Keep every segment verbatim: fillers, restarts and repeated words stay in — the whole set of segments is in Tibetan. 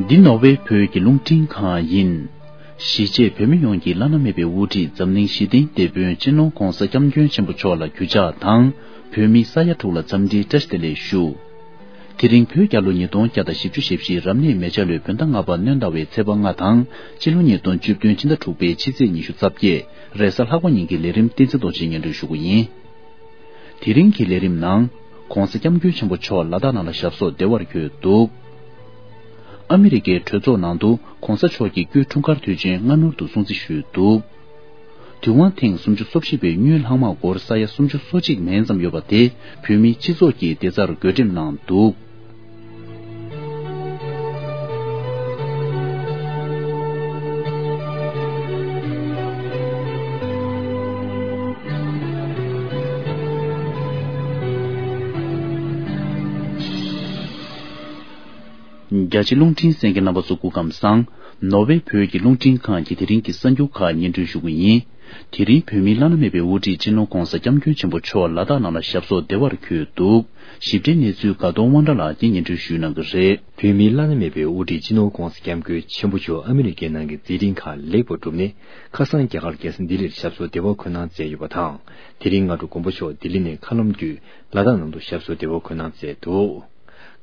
འདི་ནོར་ཝེ་བོད་ཀྱི་རླུང་འཕྲིན་ཁང་ཡིན། གཞིས་བྱེས་བོད་མི་ཡོངས་ཀྱི་བླ་ན་མེད་པའི་དབུ་ཁྲིད་འཛམ་གླིང་ཞི་བདེའི་དེད་དཔོན་སྤྱི་ནོར་༧གོང་ས་༧སྐྱབས་མགོན་ཆེན་པོ་མཆོག་ལ་གུས་ཕྱག་དང་། བོད་མིའི་ས་ཡ་དྲུག་ལ་འཚམས་འདྲིའི་བཀྲ་ཤིས་བདེ་ལེགས་ཞུ། དེ་རིང་བོད་རྒྱལ་ལོ་ཉིས་སྟོང་བརྒྱ་དང་བཞི་བཅུ་ཞེ་བཞི་རབ་གནས་མེ་བྱ་ལོའི་བོད་ཟླ་ལྔ་པ་སྣྲོན་ཟླ་བའི་ཚེས་པ་ལྔ་དང་། སྤྱི་ལོ་ཉིས་སྟོང་བཅུ་བདུན་ཕྱི་ཟླ་དྲུག་པའི་ཕྱི་ཚེས་ཉི་ཤུ་རྩ་བརྒྱད། རེས་གཟའ་ལྷག་པ་ཉིན་གྱི་ལས་རིམ་བསྟན་འཛིན་རྡོ་རྗེས་སྙན་སྒྲོན་ཞུ་གི་ཡིན། དེ་རིང་གི་ལས་རིམ་ནང་། ༧གོང་ས་༧སྐྱབས་མགོན་ཆེན་པོ་མཆོག་ལ་དྭགས་ནང་ལ་ཞབས་སོར་བདེ་བར་འཁོད་འདུག་ཨ་མི་རི་ཀའི་གྲོས་ཚོགས་ནང་དུ་གོང་ས་མཆོག་གི་སྐུའི་འཁྲུངས་སྐར་དུས་ཆེན་སྔ་སྣུར་དུ་སྲུང་བརྩི་ཞུས་འདུག་དུས་དབང་ཐེངས་སུམ་ཅུ་སོ་བཞི་པའི་དངུལ་ལྷག་མ་སྒོར་ས་ཡ་སུམ་ཅུ་སོ་གཅིག་མན་ཙམ་ཡོད་པ་དེ་བོད་མིའི་སྤྱི་ཚོགས་ཀྱི་བདེ་རྩར་བགོ་འགྲེམས་གནང་འདུག་རྒྱ་ཆེ་རླུང་འཕྲིན་གསན་མཁན་རྣམ་པ་ཚོ་སྐུ་ཁམས་བཟང་། ནོར་ཝེ་བོད་ཀྱི་རླུང་འཕྲིན་ཁང་གི་དེ་རིང་གི་གསར་འགྱུར་ཁག་སྙན་སྒྲོན་ཞུ་གི་ཡིན། དེ་རིང་བོད་མིའི་བླ་ན་མེད་པའི་དབུ་ཁྲིད་སྤྱི་ནོར་༧གོང་ས་༧སྐྱབས་མགོན་ཆེན་པོ་མཆོག་ལ་དྭགས་ནང་ལ་ཞབས་སོར་བདེ་བར་འཁོད་འདུག་ཞིབ་ཕྲའི་གནས་ཚུལ་དགའ་གདོང་དབང་གྲགས་ལགས་ཀྱིས་སྙན་སྒྲོན་ཞུ་གནང་གི་རེད། བོད་མིའི་བླ་ན་མེད་པའི་དབུ་ཁྲིད་སྤྱི་ནོར་༧གོང་ས་༧སྐྱབས་མགོན་ཆེན་པོ་མཆོག་ཨ་མི་རི་ཀའི་ནང་གི་མཛད་འཕྲིན་ཁག་ལེགས་པར་གྲུབ་ནས། ཁ་སང་རྒྱ་གར་རྒྱལ་ས་ལྡི་ལིར་ཞབས་སོར་བདེ་བར་འཁོད་གནང་མཛད་ཡོད་པ་དང་། དེ་རིང་སྔ་དྲོ་མགོན་པོ་མཆོག་ལྡི་ལི་ནས་མཁའ་ལམ་བརྒྱུད་ལ་དྭགས་ནང་དུ་ཞབས་སོར་བདེ་བར་འཁོད་གནང་མཛད་འདུག་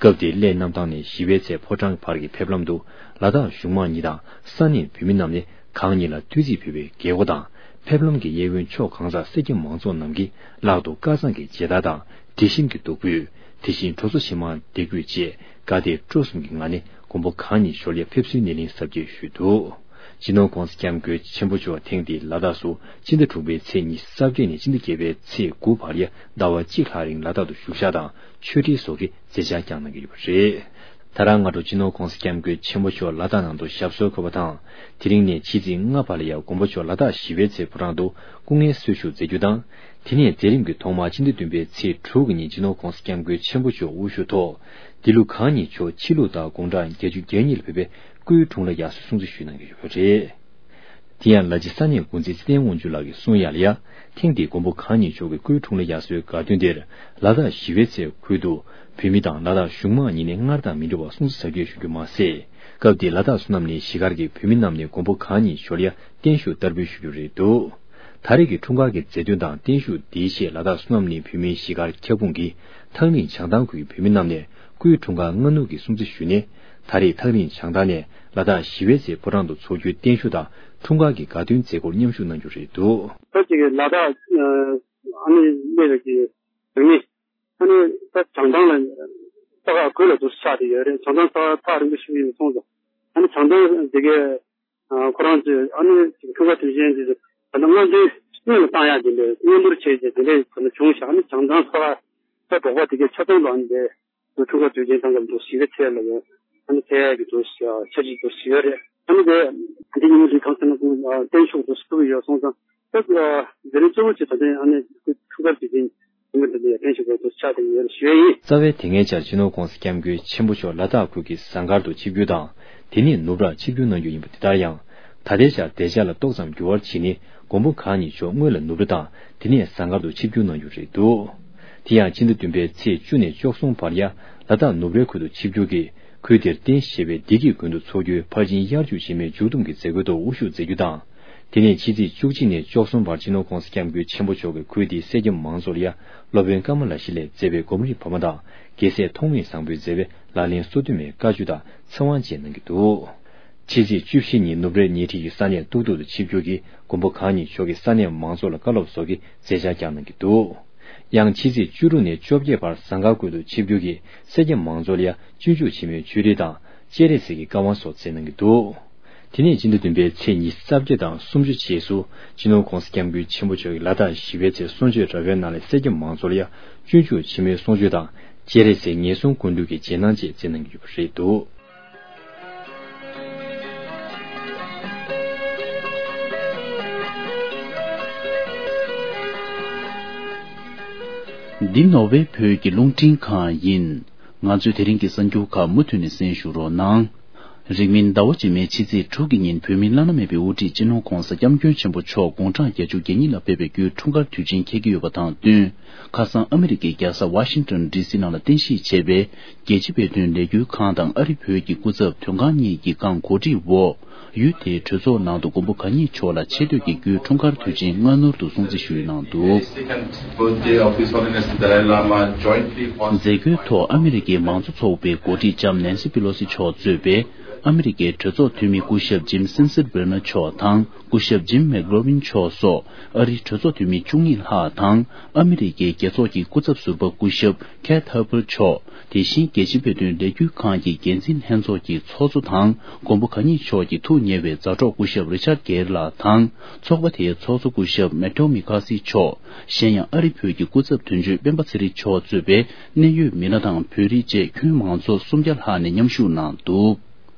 སྐབས་དེར་སླད་གནམ་ཐང་ནས་བཞི་པའི་ཚལ་ཕོ་བྲང་བར་གྱི་ཕེབས་ལམ་དུ། ལ་དྭགས་གཞུང་མང་གཉིས་དང་ས་གནས་བོད་མི་རྣམས་ནས་གང་ཉིད་ལ་བསྟོད་ཚིག་ཕུལ་བའི་རྒྱལ་སྒོ་དང་། ཕེབས་ལམ་གྱི་གཡས་གཡོན་ཕྱོགས་གང་སར་སེར་སྐྱ་མང་ཚོགས་རྣམས་ཀྱིས་ལག་ཏུ་དཀར་གཙང་གི་མཇལ་དར་དང་དྲི་ཞིམ་གྱི་བདུག་སྤོས། དེ་བཞིན་དྲོ་ཚོགས་ཞིམ་མངར་འདེགས་འབུལ་བཅས་དགའ་དད་སྤྲོ་གསུམ་གྱི་ངང་ནས་མགོན་པོ་གང་ཉིད་ཞོལ་ཡར་ཕེབས་བསུའི་སྣེ་ལེན་གཟབ་རྒྱས་ཞུས་འདུག་སྤྱི་ནོར་༧གོང་ས་༧སྐྱབས་མགོན་ཆེན་པོ་མཆོག་ཐེངས་འདིའི་ལ་དྭགས་སུ་སྤྱི་ཟླ་དྲུག་པའི་ཚེས་ཉི་ཤུ་རྩ་བརྒྱད་ནས་སྤྱི་ཟླ་བརྒྱད་པའི་ཚེས་དགུ་བར་ཡ་ཟླ་བ་གཅིག་ལྷག་རིང་ལ་དྭགས་སུ་བཞུགས་ཞག་དང་ཆོས་ཁྲིད་སོགས་ཀྱི་མཛད་འཆར་བསྐྱངས་གནང་གི་ཡོད་པ་རེད། ད་རང་སྔ་དྲོ་སྤྱི་ནོར་༧གོང་ས་༧སྐྱབས་མགོན་ཆེན་པོ་མཆོག་ལ་དྭགས་ནང་དུ་ཞབས་སོར་འཁོད་པ་དང་། དེ་རིང་ནས་ཕྱི་ཚེས་ལྔ་བར་ལ་ཡ་མགོན་པོ་མཆོག་ལ་དྭགས་བཞི་པའི་ཚལ་ཕོ་བྲང་དུ་སྐུ་ངལ་གསོ་བཞུགས་མཛད་རྒྱུ་དང་། དེ་ནས་མཛད་རིམ་གྱི་ཐོག་མ་སྤྱི་ཟླ་བདུན་པའི་ཚེས་དྲུག་གི་ཉིན་སྤྱི་ནོར་༧གོང་ས་༧སྐྱབས་མགོན་ཆེན་པོ་མཆོག་དབུ་བཞུགས་ཐོག་འདི་ལོ་གང་ཉིད་མཆོག་ཕྱི་ལུགས་ལྟར་དགུང་གྲངས་བརྒྱད་ཅུ་གྱ་གཉིས་ལ་ཕེབས་པའི་སྐུའི་འཁྲུངས་ལྷ་དབྱར་གསོལ་སྲུང་བརྩི་ཞུས་གནང་གི་ཡོད་པ་རེད། དེ་ཡང་ལ་ཕྱི་ས་གནས་འགོ་འཛིན་ཚེ་བརྟན་དབང་ཕྱུག་ལགས་ཀྱིས་གསུངས་ཡ་ལ་ཡ། ཐེངས་འདིའི་མགོན་པོ་གང་ཉིད་མཆོག་གི་སྐུའི་འཁྲུངས་ལྷ་དབྱར་གསོལ་དགའ་སྟོན་དེར་ལ་དྭགས་བཞི་པའི་ཚལ་ཁུལ་དུ་བོད་མི་དང་ལ་དྭགས་གཞུང་མང་གཉིས་ནས་སྔར་དང་མི་འདྲ་བར་སྲུང་བརྩི་གཟབ་རྒྱས་ཞུ་རྒྱུ་མ་ཟད། སྐབས་དེར་ལ་དྭགས་བསོད་ནམས་གླིང་གཞིས་སྒར་གྱི་བོད་མི་རྣམས་ནས་མགོན་པོ་གང་ཉིད་ཞོལ་ཡར་བརྟན་བཞུགས་བསྟར་འབུལ་ཞུ་རྒྱུ་རེད་འདུག་ད་རེས་ཀྱི་འཁྲུངས་སྐར་གྱི་མཛད་དོན་དང་བརྟན་བཞུགས་འདིའི་ཆེད་ལ་དྭགས་བསོད་ནམས་གླིང་བོད་མིའི་གཞིས་སྒར་ཁྱབ་ཁོངས་ཀྱི་ཐག་རིང་བྱང་ཐང་ཁུལ་གྱི་བོད་མི་རྣམས་ནས་སྐུའི་འཁྲུངས་སྐར་སྔ་སྣུར་གྱི་སྲུང་བརྩི་ཞུས་ནས། ད་རེས་ཐག་རིང་བྱང་ཐང་ནས་ལ་དྭགས་ཞི་བའི་ཚལ་ཕོ་བྲང་དུ་འཚོགས་རྒྱུའི་བརྟན་བཞུགས་དང་འཁྲུངས་སྐར་གྱི་དགའ་སྟོན་མཛད་སྒོར་མཉམ་ཞུགས་གནང་རྒྱུ་རེད་འདུག་ད་ཅིག་ལ་དྭགས་ཨ་ནི་གནས་པའི་གི་བོད་མི་ཨ་ནི་ད་བྱང་ཐང་ལ་ས་ཁ་དགོད་ལ་དུ་ཆགས་ཏེ་ཡོད་རེད། བྱང་ཐང་ས་ཁ་ཐག་རིང་པོ་ཞིག་ཡིན་སོང་ཙང་ཨ་ནི་བྱང་ཐང་དེ་གའི་ཁོ་རང་ཚོས་ཨ་ནི་ཅིག་འཁྲུངས་སྐར་དུས་ཆེན་དེ་ཚོ་ད་ལྟ་སྔོན་ཐོན་སྔོན་ལ་བཏང་ཡག་དེ་འདྲའི་སྔོན་འབུར་བྱས་རྗེས་དེ་འདྲའི་ད་ལྟ་བྱུང་ཤག་ཨ་ནི་བྱང་ཐང་ས་ཁ་ས་འབྲོག་པ་དེ་གའི་ཆ་ཚང་དུ་ཨ་ནི་འདྲའི་འཁྲུངས་སྐར་དུས་ཆེན་དང་སྐབས་དུ་ཞི་བའི་ཚལ་ལ་ཡང་ཨ་ནི་ཚད་ཡག་གི་དུ་འཆར་གཞི་དུ་ཞི་བ་རེད། ཨ་ནི་དེ་འདི་ཉིན་མོ་འདི་གང་ཟེར་ན་ཀུན་བརྟན་བཞུགས་དུ་ཞུ་གི་ཡོད་སོང་ཙང་ད་དེ་རིང་གཙོ་བོ་ཆེ་ད་ལྟ་ཨ་ནི་འཁྲུངས་སྐར་དུས་ཆེན་ཉིན་མོ་འདི་ལ་བརྟན་བཞུགས་དུ་ཆགས་བསྡད་ཡོད་ཞུ་ཡ་ཡིན། རྩ་བའི་དེ་སྔའི་ཆར་སྤྱི་ནོར་༧གོང་ས་༧སྐྱབས་མགོན་ཆེན་པོ་མཆོག་ལ་དྭགས་ཁུལ་གྱི་ཟངས་དཀར་དུ་ཆིབས་བསྒྱུར་དང་དེ་ནས་ནུབ་རར་ཆིབས་བསྒྱུར་གནང་རྒྱུ་ཡིན་པ་དེ་ལྟར་ཡང་། ད་ལྟའི་ཆར་དེ་ཆ་ལ་ཏོག་ཙམ་འགྱུར་བ་ཕྱིན་ནས་མགོན་པོ་གང་ཉིད་མཆོག་སྔོན་ལ་ནུབ་ར་དང་དེ་ནས་ཟངས་དཀར་དུ་ཆིབས་བསྒྱུར་གནང་རྒྱུ་རེད་འདུག་དེ་ཡང་སྤྱི་ཟླ་བདུན་པའི་ཚེས་བཅུ་ནས་བཅུ་གསུམ་བར་ཡ་ལ་དྭགས་ནུབ་རའི་ཁུལ་དུ་ཆིབས་བསྒྱུར་གྱིས་ཁུལ་དེར་རྟེན་གཞི་བྱས་པའི་བདེ་སྐྱིད་དགོན་དུ་འཚོགས་རྒྱུའི་ཕར་ཕྱིན་དབྱར་ཆོས་བྱེད་མའི་མཇུག་བསྡོམས་ཀྱི་མཛད་སྒོའི་ཐོག་དབུ་བཞུགས་མཛད་རྒྱུ་དང་། དེ་ནས་ཕྱི་ཚེས་བཅུ་གཅིག་ནས་བཅུ་གསུམ་བར་སྤྱི་ནོར་༧གོང་ས་༧སྐྱབས་མགོན་ཆེན་པོ་མཆོག་གིས་ཁུལ་དེའི་སེར་སྐྱ་མང་ཚོགས་ལ་ཡ་སློབ་དཔོན་ཀ་མ་ལ་ཤཱི་ལས་མཛད་པའི་སྒོམ་རིམ་བར་མ་དང་རྒྱལ་སྲས་ཐོགས་མེད་བཟང་པོས་མཛད་པའི་ལག་ལེན་སོ་བདུན་མའི་བཀའ་ཆོས་དང་ཚེ་དབང་བཅས་གནང་གི་འདུག་ཕྱི་ཚེས་བཅུ་བཞི་ཉིན་ནུབ་རའི་ཉེ་འཁྲིས་ཀྱི་ས་གནས་ཏུག་ཏུག་ཏུ་ཆིབས་བསྒྱུར་གྱིས་མགོན་པོ་གང་ཉིད་མཆོག་གིས་ས་གནས་མང་ཚོགས་ལ་བཀའ་སློབ་སོགས་ཀྱི་མཛད་འཆར་བསྐྱངས་གནང་གི་འདུག་ཡང་ཕྱི་ཚེས་བཅུ་དྲུག་ནས་བཅོ་བརྒྱད་བར་ཟངས་དཀར་ཁུལ་དུ་ཆིབས་བསྒྱུར་གྱིས་སེར་སྐྱ་མང་ཚོགས་ལ་ཡ་སྤྱོད་འཇུག་ཆེན་མོའི་ཆོས་རིས་དང་སྤྱན་རས་གཟིགས་ཀྱི་བཀའ་དབང་སོགས་སྩལ་གནང་གི་འདུག་དེ་ནས་སྤྱི་ཟླ་བདུན་པའི་ཚེས་ཉི་ཤུ་རྩ་བརྒྱད་དང་སུམ་ཅུ་རྗེས་སུ་སྤྱི་ནོར་༧གོང་ས་༧སྐྱབས་མགོན་ཆེན་པོ་མཆོག་གིས་ལ་དྭགས་ཞི་བའི་ཚལ་གསུང་ཆོས་ར་བའི་ནང་ལ་སེར་སྐྱ་མང་ཚོགས་ལ་ཡ་སྤྱོད་འཇུག་ཆེན་མོའི་གསུང་ཆོས་དང་སྤྱན་རས་གཟིགས་ངན་སོང་ཀུན་འདུལ་གྱི་རྗེས་གནང་བཅས་སྩལ་གནང་གི་ཡོད་པ་རེད་འདུག་འདི་ནོར་ཝེ་བོད་ཀྱི་རླུང་འཕྲིན་ཁང་ཡིན། ང་ཚོའི་དེ་རིང་གི་གསར་འགྱུར་ཁག་མུ་མཐུད་ནས་གསན་ཞུ་རོགས་གནང་། རིང་མིན་ཟླ་བ་རྗེས་མའི་ཕྱི་ཚེས་དྲུག་གི་ཉིན་བོད་མིའི་བླ་ན་མེད་པའི་དབུ་ཁྲིད་སྤྱི་ནོར་༧གོང་ས་༧སྐྱབས་མགོན་ཆེན་པོ་མཆོག་དགུང་གྲངས་བརྒྱད་ཅུ་གྱ་གཉིས་ལ་ཕེབས་པའི་རྒྱུའི་འཁྲུངས་སྐར་དུས་ཆེན་འཁེལ་གྱི་ཡོད་པ་དང་བསྟུན། ཁ་སང་ཨ་མི་རི་ཀའི་རྒྱལ་ས་ཝ་ཤིང་ཏོན་ཌི་སི་ནང་ལ་རྟེན་གཞི་བྱས་པའི་རྒྱལ་སྤྱི་བོད་དོན་ལས་འགུལ་ཁང་དང་ཨ་རི་བོད་ཀྱི་སྐུ་ཚབ་དོན་ཁང་གཉིས་ཀྱི་སྒང་གོ་སྒྲིག་འོག་ཡུལ་དེའི་གྲོས་ཚོགས་ནང་དུ་མགོན་པོ་གང་ཉིད་མཆོག་ལ་ཆེ་བསྟོད་ཀྱི་རྒྱུའི་འཁྲུངས་སྐར་དུས་ཆེན་སྔ་སྣུར་དུ་སྲུང་བརྩི་ཞུས་གནང་འདུག། Birthday of His Holiness the Dalai Lama jointly on མཛད་སྒོའི་ཐོག་ཨ་མི་རི་ཀའི་མང་གཙོ་ཚོགས་པའི་འགོ་ཁྲིད་ལྕམ་ནན་སི་པི་ལོ་སི་མཆོག་གཙོས་པའི་ཨ་མི་རི་ཀའི་གྲོས་ཚོགས་འཐུས་མི་སྐུ་ཞབས་ཇིམ་སེན་སར་བྷེར་ནར་མཆོག་དང་སྐུ་ཞབས་ཇིམ་མེག་ལོ་རིན་མཆོག་སོགས་ཨ་རིའི་གྲོས་ཚོགས་འཐུས་མི་བཅུ་གཉིས་ལྷག་དང་ཨ་མི་རི་ཀའི་རྒྱལ་ཚོགས་ཀྱི་སྐུ་ཚབ་ཟུར་པ་སྐུ་ཞབས་ཁེ་ཐར་པར་མཆོག་དེ་བཞིན་རྒྱལ་སྤྱིའི་བོད་དོན་ལས་འགུལ་ཁང་གི་འགན་འཛིན་ལྷན་ཚོགས་ཀྱི་ཚོགས་གཙོ་དང་མགོན་པོ་གང་ཉིད་མཆོག་གི་ཐུགས་ཉེ་བའི་མཛའ་གྲོགས་སྐུ་ཞབས་རི་ཆར་གེར་ལགས་དང་ཚོགས་པ་དེའི་ཚོགས་གཙོ་སྐུ་ཞབས་མེ་ཏོ་མི་ཁ་སི་མཆོག་གཞན་ཡང་ཨ་རི་བོད་ཀྱི་སྐུ་ཚབ་དོན་གཅོད་སྤེན་པ་ཚེ་རིང་མཆོག་གཙོས་པའི་གནད་ཡོད་མི་སྣ་དང་བོད་རིགས་བཅས་ཁྱོན་མང་ཚོགས་སུམ་བརྒྱ་ལྷག་ནས་མཉམ་ཞུགས་གནང་འདུག།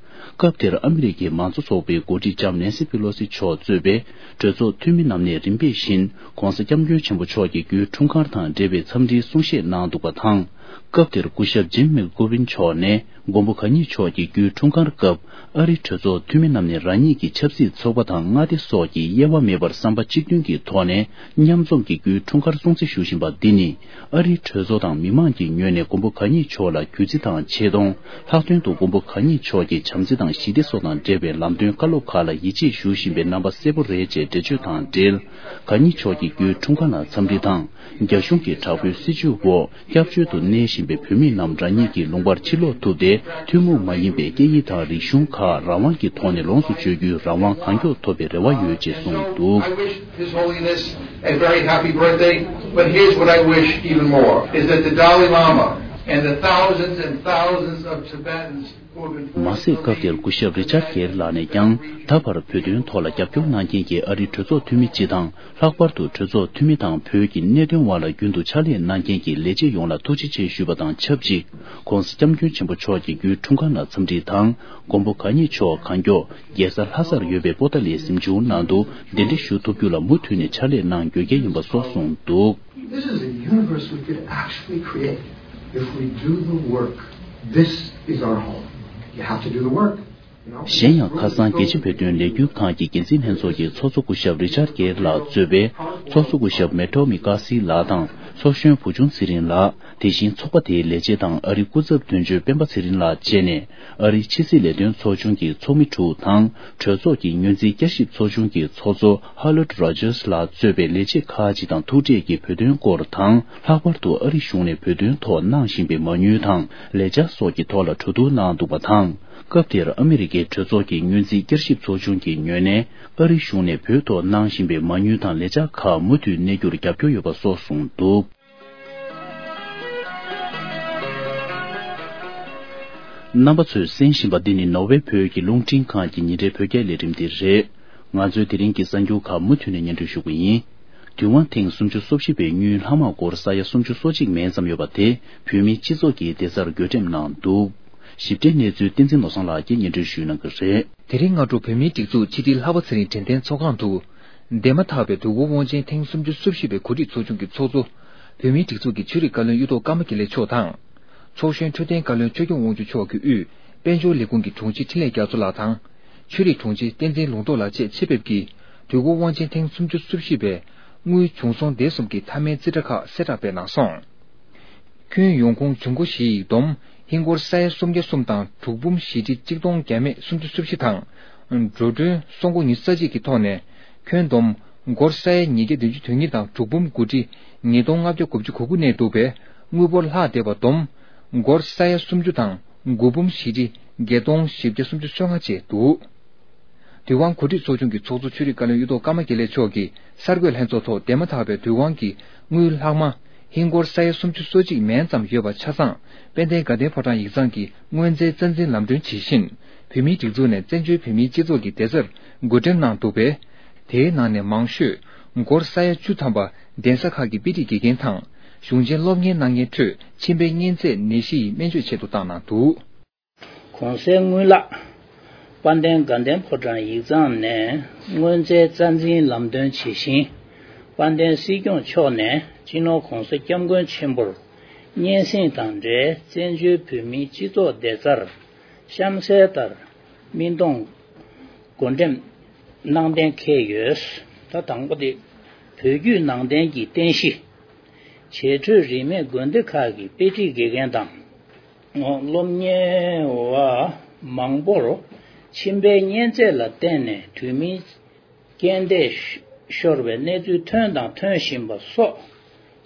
སྐབས་དེར་ཨ་མི་རི་ཀའི་མང་གཙོ་ཚོགས་པའི་འགོ་ཁྲིད་ལྕམ་ནན་སི་པི་ལོ་སི་མཆོག་གཙོས་པའི་གྲོས་ཚོགས་འཐུས་མི་རྣམས་ནས་རིམ་པས་བཞིན་༧གོང་ས་༧སྐྱབས་མགོན་ཆེན་པོ་མཆོག་གི་རྒྱུའི་འཁྲུངས་སྐར་དང་འབྲེལ་བའི་འཚམས་འདྲིའི་གསུང་བཤད་གནང་འདུག་པ་དང་། སྐབས་དེར་སྐུ་ཞབས་ཇིམ་མེག་ཀོ་བིན་མཆོག་ནས་མགོན་པོ་གང་ཉིད་མཆོག་གི་རྒྱུའི་འཁྲུངས་སྐར་སྐབས་ཨ་རིའི་གྲོས་ཚོགས་འཐུས་མི་རྣམས་ནས་རང་ཉིད་ཀྱི་ཆབ་སྲིད་ཚོགས་པ་དང་མངའ་སྡེ་སོགས་ཀྱི་དབྱེ་བ་མེད་པར་བསམ་པ་གཅིག་མཐུན་གྱི་ཐོག་ནས་མཉམ་འཛོམས་ཀྱི་རྒྱུའི་འཁྲུངས་སྐར་སྲུང་བརྩི་ཞུ་བཞིན་པ་འདི་ནི། ཨ་རིའི་གྲོས་ཚོགས་དང་མི་མང་གི་ངོས་ནས་མགོན་པོ་གང་ཉིད་མཆོག་ལ་གུས་བརྩི་དང་ཆེ་མཐོང་། ལྷག་དོན་དུ་མགོན་པོ་གང་ཉིད་མཆོག་གི་བྱམས་བརྩེ་དང་ཞི་བདེ་སོགས་དང་འབྲེལ་བའི་ལམ་སྟོན་བཀའ་སློབ་ཁག་ལ་ཡིད་ཆེས་ཞུ་བཞིན་པའི་རྣམ་པ་གསལ་པོ་རེད་ཅེས་འགྲེལ་བརྗོད་དང་འབྲེལ། གང་ཉིད་མཆོག་གི་རྒྱུའི་འཁྲུངས་སྐར་ལ་འཚམས་འདྲི་དང་། རྒྱ་གཞུང་གི་དྲག་པོའི་སྲིད་བྱུས་འོག་སྐྱབས་བཅོལ་དུ་གནས་བཞིན་པའི་བོད་མི་རྣམས་རང་ཉིད་ཀྱི་ལུང་པར་ཕྱིར་ལོག་ཐུབ་སྟེ་ཐུན་མོང་མ་ཡིན་པའི་སྐད་ཡིག་དང་རིག་གཞུང་ཁག་རང་དབང་གི་ཐོག་ནས་ལོངས་སུ་སྤྱོད་རྒྱུའི་རང་དབང་གང་མགྱོགས་ཐོབ་པའི་རེ་བ་ཡོད་ཅེས་གསུངས་འདུག། I wish His Holiness a very happy birthday, but here's what I wish even more, is that the Dalai Lama and the thousands and thousands of Tibetans who have been མ་ཟད་སྐབས་དེར་སྐུ་ཞབས་རི་ཅར་གེར་ལགས་ནས་ཀྱང་ད་བར་བོད་དོན་ཐོག་ལ་རྒྱབ་སྐྱོར་གནང་མཁན་གྱི་ཨ་རིའི་གྲོས་ཚོགས་འཐུས་མི་སྤྱི་དང་ལྷག་པར་དུ་གྲོས་ཚོགས་འཐུས་མི་དང་བོད་ཀྱི་གནད་དོན་དབར་ལ་རྒྱུན་དུ་ཕྱག་ལས་གནང་མཁན་གྱི་ལས་བྱེད་ཡོངས་ལ་ཐུགས་རྗེ་ཆེ་ཞུས་པ་དང་ཆབས་ཅིག ༸གོང་ས་༸སྐྱབས་མགོན་ཆེན་པོ་མཆོག་གི་རྒྱུའི་འཁྲུངས་སྐར་ལ་འཚམས་འདྲི་དང་མགོན་པོ་གང་ཉིད་མཆོག་གང་མགྱོགས་རྒྱལ་ས་ལྷ་སར་ཡོད་པའི་པོ་ཏཱ་ལའི་གཟིམ་ཆུང་ནང་དུ་གདན་འདྲེན་ཞུ་ཐུབ་རྒྱུ་ལ་མུ་མཐུད་ནས་ཕྱག་ལས་གནང་དགོས་གལ་ཡིན་པ་སོགས་གསུངས་འདུག། This is a universe we could actually create if we do the work. This is our home. You have to do the work. གཞན་ཡང་ཁ་སང་རྒྱལ་སྤྱི་བོད་དོན་ལས་འགུལ་ཁང་གི་འགན་འཛིན་ལྷན་ཚོགས་ཀྱི་ཚོགས་གཙོ་སྐུ་ཞབས་རི་ཅར་གེར་ལགས་གཙོས་པའི་ཚོགས་གཙོ་སྐུ་ཞབས་མེ་ཏོ་མི་ཀ་སི་ལགས་དང་ཚོགས་གཞོན་བུ་ཆུང་ཚེ་རིང་ལགས། དེ་བཞིན་ཚོགས་པ་དེའི་ལས་བྱེད་དང་ཨ་རིའི་སྐུ་ཚབ་དོན་གཅོད་སྤེན་པ་ཚེ་རིང་ལགས་བཅས་ནས་ཨ་རིའི་ཕྱི་སྲིད་ལས་དོན་ཚོགས་ཆུང་གི་ཚོགས་མི་དྲུག་དང་གྲོས་ཚོགས་ཀྱི་སྔོན་རྩིས་བསྐྱར་ཞིབ་ཚོགས་ཆུང་གི་ཚོགས་གཙོ་ཧ་ལོཌ་རོ་ཇར་ལགས་གཙོས་པའི་ལས་བྱེད་ཁག་ཅིག་དང་ཐུག་འཕྲད་ཀྱིས་བོད་དོན་སྐོར་དང་ལྷག་པར་དུ་ཨ་རི་གཞུང་ནས་བོད་དོན་ཐོག་གནང་བཞིན་པའི་མ་དངུལ་དང་ལས་འཆར་སོགས་ཀྱི་ཐོག་ལ་གྲོས་བསྡུར་གནང་འདུག་པ་དང་། སྐབས་དེར་ཨ་མི་རི་ཀའི་གྲོས་ཚོགས་ཀྱི་སྔོན་རྩིས་བསྐྱར་ཞིབ་ཚོགས་ཆུང་གི་ངོས་ནས་ཨ་རི་གཞུང་ནས་བོད་ཐོག་གནང་བཞིན་པའི་མ་དངུལ་དང་ལས་འཆར་ཁག་མུ་མཐུད་གནས་རྒྱུར་རྒྱབ་སྐྱོར་ཡོད་པ་སོགས་གསུངས་འདུག། རྣམ་པ་ཚོས་གསན་བཞིན་པ་འདི་ནི་ནོར་ཝེ་བོད་ཀྱི་རླུང་འཕྲིན་ཁང་གི་ཉིན་རེའི་བོད་སྐད་ལས་རིམ་དེ་རེད། ང་ཚོའི་དེ་རིང་གི་གསར་འགྱུར་ཁག་མུ་མཐུད་ནས་སྙན་སྒྲོན་ཞུ་གི་ཡིན། དུས་དབང་ཐེངས་སུམ་ཅུ་སོ་བཞི་པའི་དངུལ་ལྷག་མ་སྒོར་ས་ཡ་སུམ་ཅུ་སོ་གཅིག་མན་ཙམ་ཡོད་པ་དེ་བོད་མིའི་སྤྱི་ཚོགས་ཀྱི་བདེ་རྩར་བགོ་འགྲེམས་གནང་འདུག། ཞིབ་ཕྲའི་གནས་ཚུལ་བསྟན་འཛིན་ནོར་བཟང་ལགས་ཀྱིས་སྙན་སྒྲོན་ཞུ་གནང་གི་རེད། དེ་རིང་སྔ་དྲོ་བོད་མིའི་སྒྲིག་འཛུགས་ཕྱི་དྲིལ་ལྷག་པ་ཚེ་རིང་དྲན་རྟེན་ཚོགས་ཁང་དུ། འདས་མ་ཐག་པའི་དུས་འཁོར་དབང་ཆེན་ཐེངས་སུམ་ཅུ་སོ་བཞི་པའི་གོ་སྒྲིག་ཚོགས་ཆུང་གི་ཚོགས་གཙོ། བོད་མིའི་སྒྲིག་འཛུགས་ཀྱི་ཆོས་རིག་བཀའ་བློན་གཡུ་ཐོག་ཀརྨ་དགེ་ལེགས་མཆོག་དང་། ཚོགས་གཞོན་འཕྲོད་བསྟེན་བཀའ་བློན་ཆོས་སྐྱོང་དབང་ཕྱུག་མཆོག་གི་དབུས་དཔལ་འབྱོར་ལས་ཁུངས་ཀྱི་དྲུང་ཆེ་འཕྲིན་ལས་རྒྱ་མཚོ་ལགས་དང་། ཆོས་རིག་དྲུང་ཆེ་བསྟན་འཛིན་ལུང་རྟོགས་ལགས་བཅས་ཆེད་ཕེབས་ཀྱིས་དུས་འཁོར་དབང་ཆེན་ཐེངས་སུམ་ཅུ་སོ་བཞི་པའི་དངུལ་བྱུང་སོང་སྡེ་གསུམ་གྱི་མཐའ་མའི་རྩིས་ཁྲ་ཁག་གསལ་བསྒྲགས་སྤེལ་གནང་སོང་། ཁྱོན་ཡོང་ཁུངས་བྱུང་སྒོ་བཞི་ཡི་བསྡོམས་ཧིན་སྒོར་ས་ཡ་སུམ་བརྒྱ་གསུམ་དང་དྲུག་འབུམ་བཞི་ཁྲི་གཅིག་སྟོང་བརྒྱ་མེད་སུམ་ཅུ་སོ་བཞི་དང་། འགྲོ་གྲོན་སོང་སྒོ་ཉི་ཤུ་རྩ་གཅིག་གི་ཐོག་ནས་ཁྱོན་བསྡོམས་སྒོར་ས་ཡ་ཉིས་བརྒྱ་བདུན་ཅུ་དོན་གཉིས་དང་དྲུག་འབུམ་དགུ་ཁྲི་ཉིས་སྟོང་ལྔ་བརྒྱ་དགུ་བཅུ་གོ་དགུ་གནས་འདུག་པས་དངུལ་འབོར་ལྷག་བསྡད་པ་བསྡོམས་སྒོར་ས་ཡ་སུམ་ཅུ་དང་དགུ་འབུམ་བཞི་ཁྲི་བརྒྱད་སྟོང་བཞི་བརྒྱ་སུམ་ཅུ་སོ་ལྔ་བཅས་འདུག། དུས་དབང་གོ་སྒྲིག་ཚོགས་ཆུང་གི་ཚོགས་གཙོ་ཆོས་རིག་བཀའ་བློན་གཡུ་ཐོག་ཀརྨ་དགེ་ལེགས་མཆོག་གིས་གསར་འགོད་ལྷན་ཚོགས་ཐོག་འདས་མ་ཐག་པའི་དུས་དབང་གི་དངུལ་ལྷག་མ་ཧིན་སྒོར་ས་ཡ་སུམ་ཅུ་སོ་གཅིག་མན་ཙམ་ཡོད་པ་ཆ་ཚང་དཔལ་ལྡན་དགའ་ལྡན་ཕོ་བྲང་ཡིག་ཚང་གི་དངོས་རྫས་རྩ་འཛིན་ལམ་གྲོན་ཇི་བཞིན་བོད་མིའི་སྒྲིག་འཛུགས་ནས་བཙན་བྱོལ་བོད་མིའི་སྤྱི་ཚོགས་ཀྱི་བདེ་རྩར་བགོ་འགྲེམས་གནང་འདུག་པས། དེའི་ནང་ནས་མང་ཤོས་སྒོར་ས་ཡ་བཅུ་ཐམ་པ་གདན་ས་ཁག་གི་དཔེ་ཁྲིད་དགེ་རྒན་དང་གཞུང་ཆེན་སློབ་གཉེར་གནང་མཁན་ཁྲོད་མཆིན་པའི་གཉན་ཚད་ནད་གཞི་ཡི་སྨན་བཅོས་ཆེད་དུ་བཏང་གནང་འདུག། གོང་གསལ་དངུལ་ལག་དཔལ་ལྡན་དགའ་ལྡན་ཕོ་བྲང་ཡིག་ཚང་ནས་དངོས་རྫས་རྩ་འཛིན་ལམ་སྟོན་ཇི་བཞིན། དཔལ་ལྡན་སྲིད་སྐྱོང་མཆོག་ནས་སྤྱི་ནོར་༧གོང་ས་༧སྐྱབས་མགོན་ཆེན་པོར་སྙན་སེང་དང་འབྲེལ་བཙན་བྱོལ་བོད་མིའི་སྤྱི་ཚོགས་བདེ་རྩར་གཤམ་གསལ་ལྟར། སྨིན་གཏོང་བགོ་འགྲེམས་གནང་གཏན་འཁེལ་ཡོད། ད་དང་པོ་དེ་བོད་བརྒྱུད་ནང་བསྟན་གྱི་རྟེན་གཞི། བྱེས་འཕྲོས་རིས་མེད་དགོན་སྡེ་ཁག་གི་དཔེ་ཁྲིད་དགེ་རྒན་དང་། སློབ་གཉེར་བ་མང་པོར་མཆིན་པའི་གཉན་ཚད་ལ་བརྟེན་ནས་དུས་མིན་རྐྱེན་འདས་ཤོར་བའི་གནས་ཚུལ་ཐོན་དང་ཐོན་བཞིན་པ་སོགས།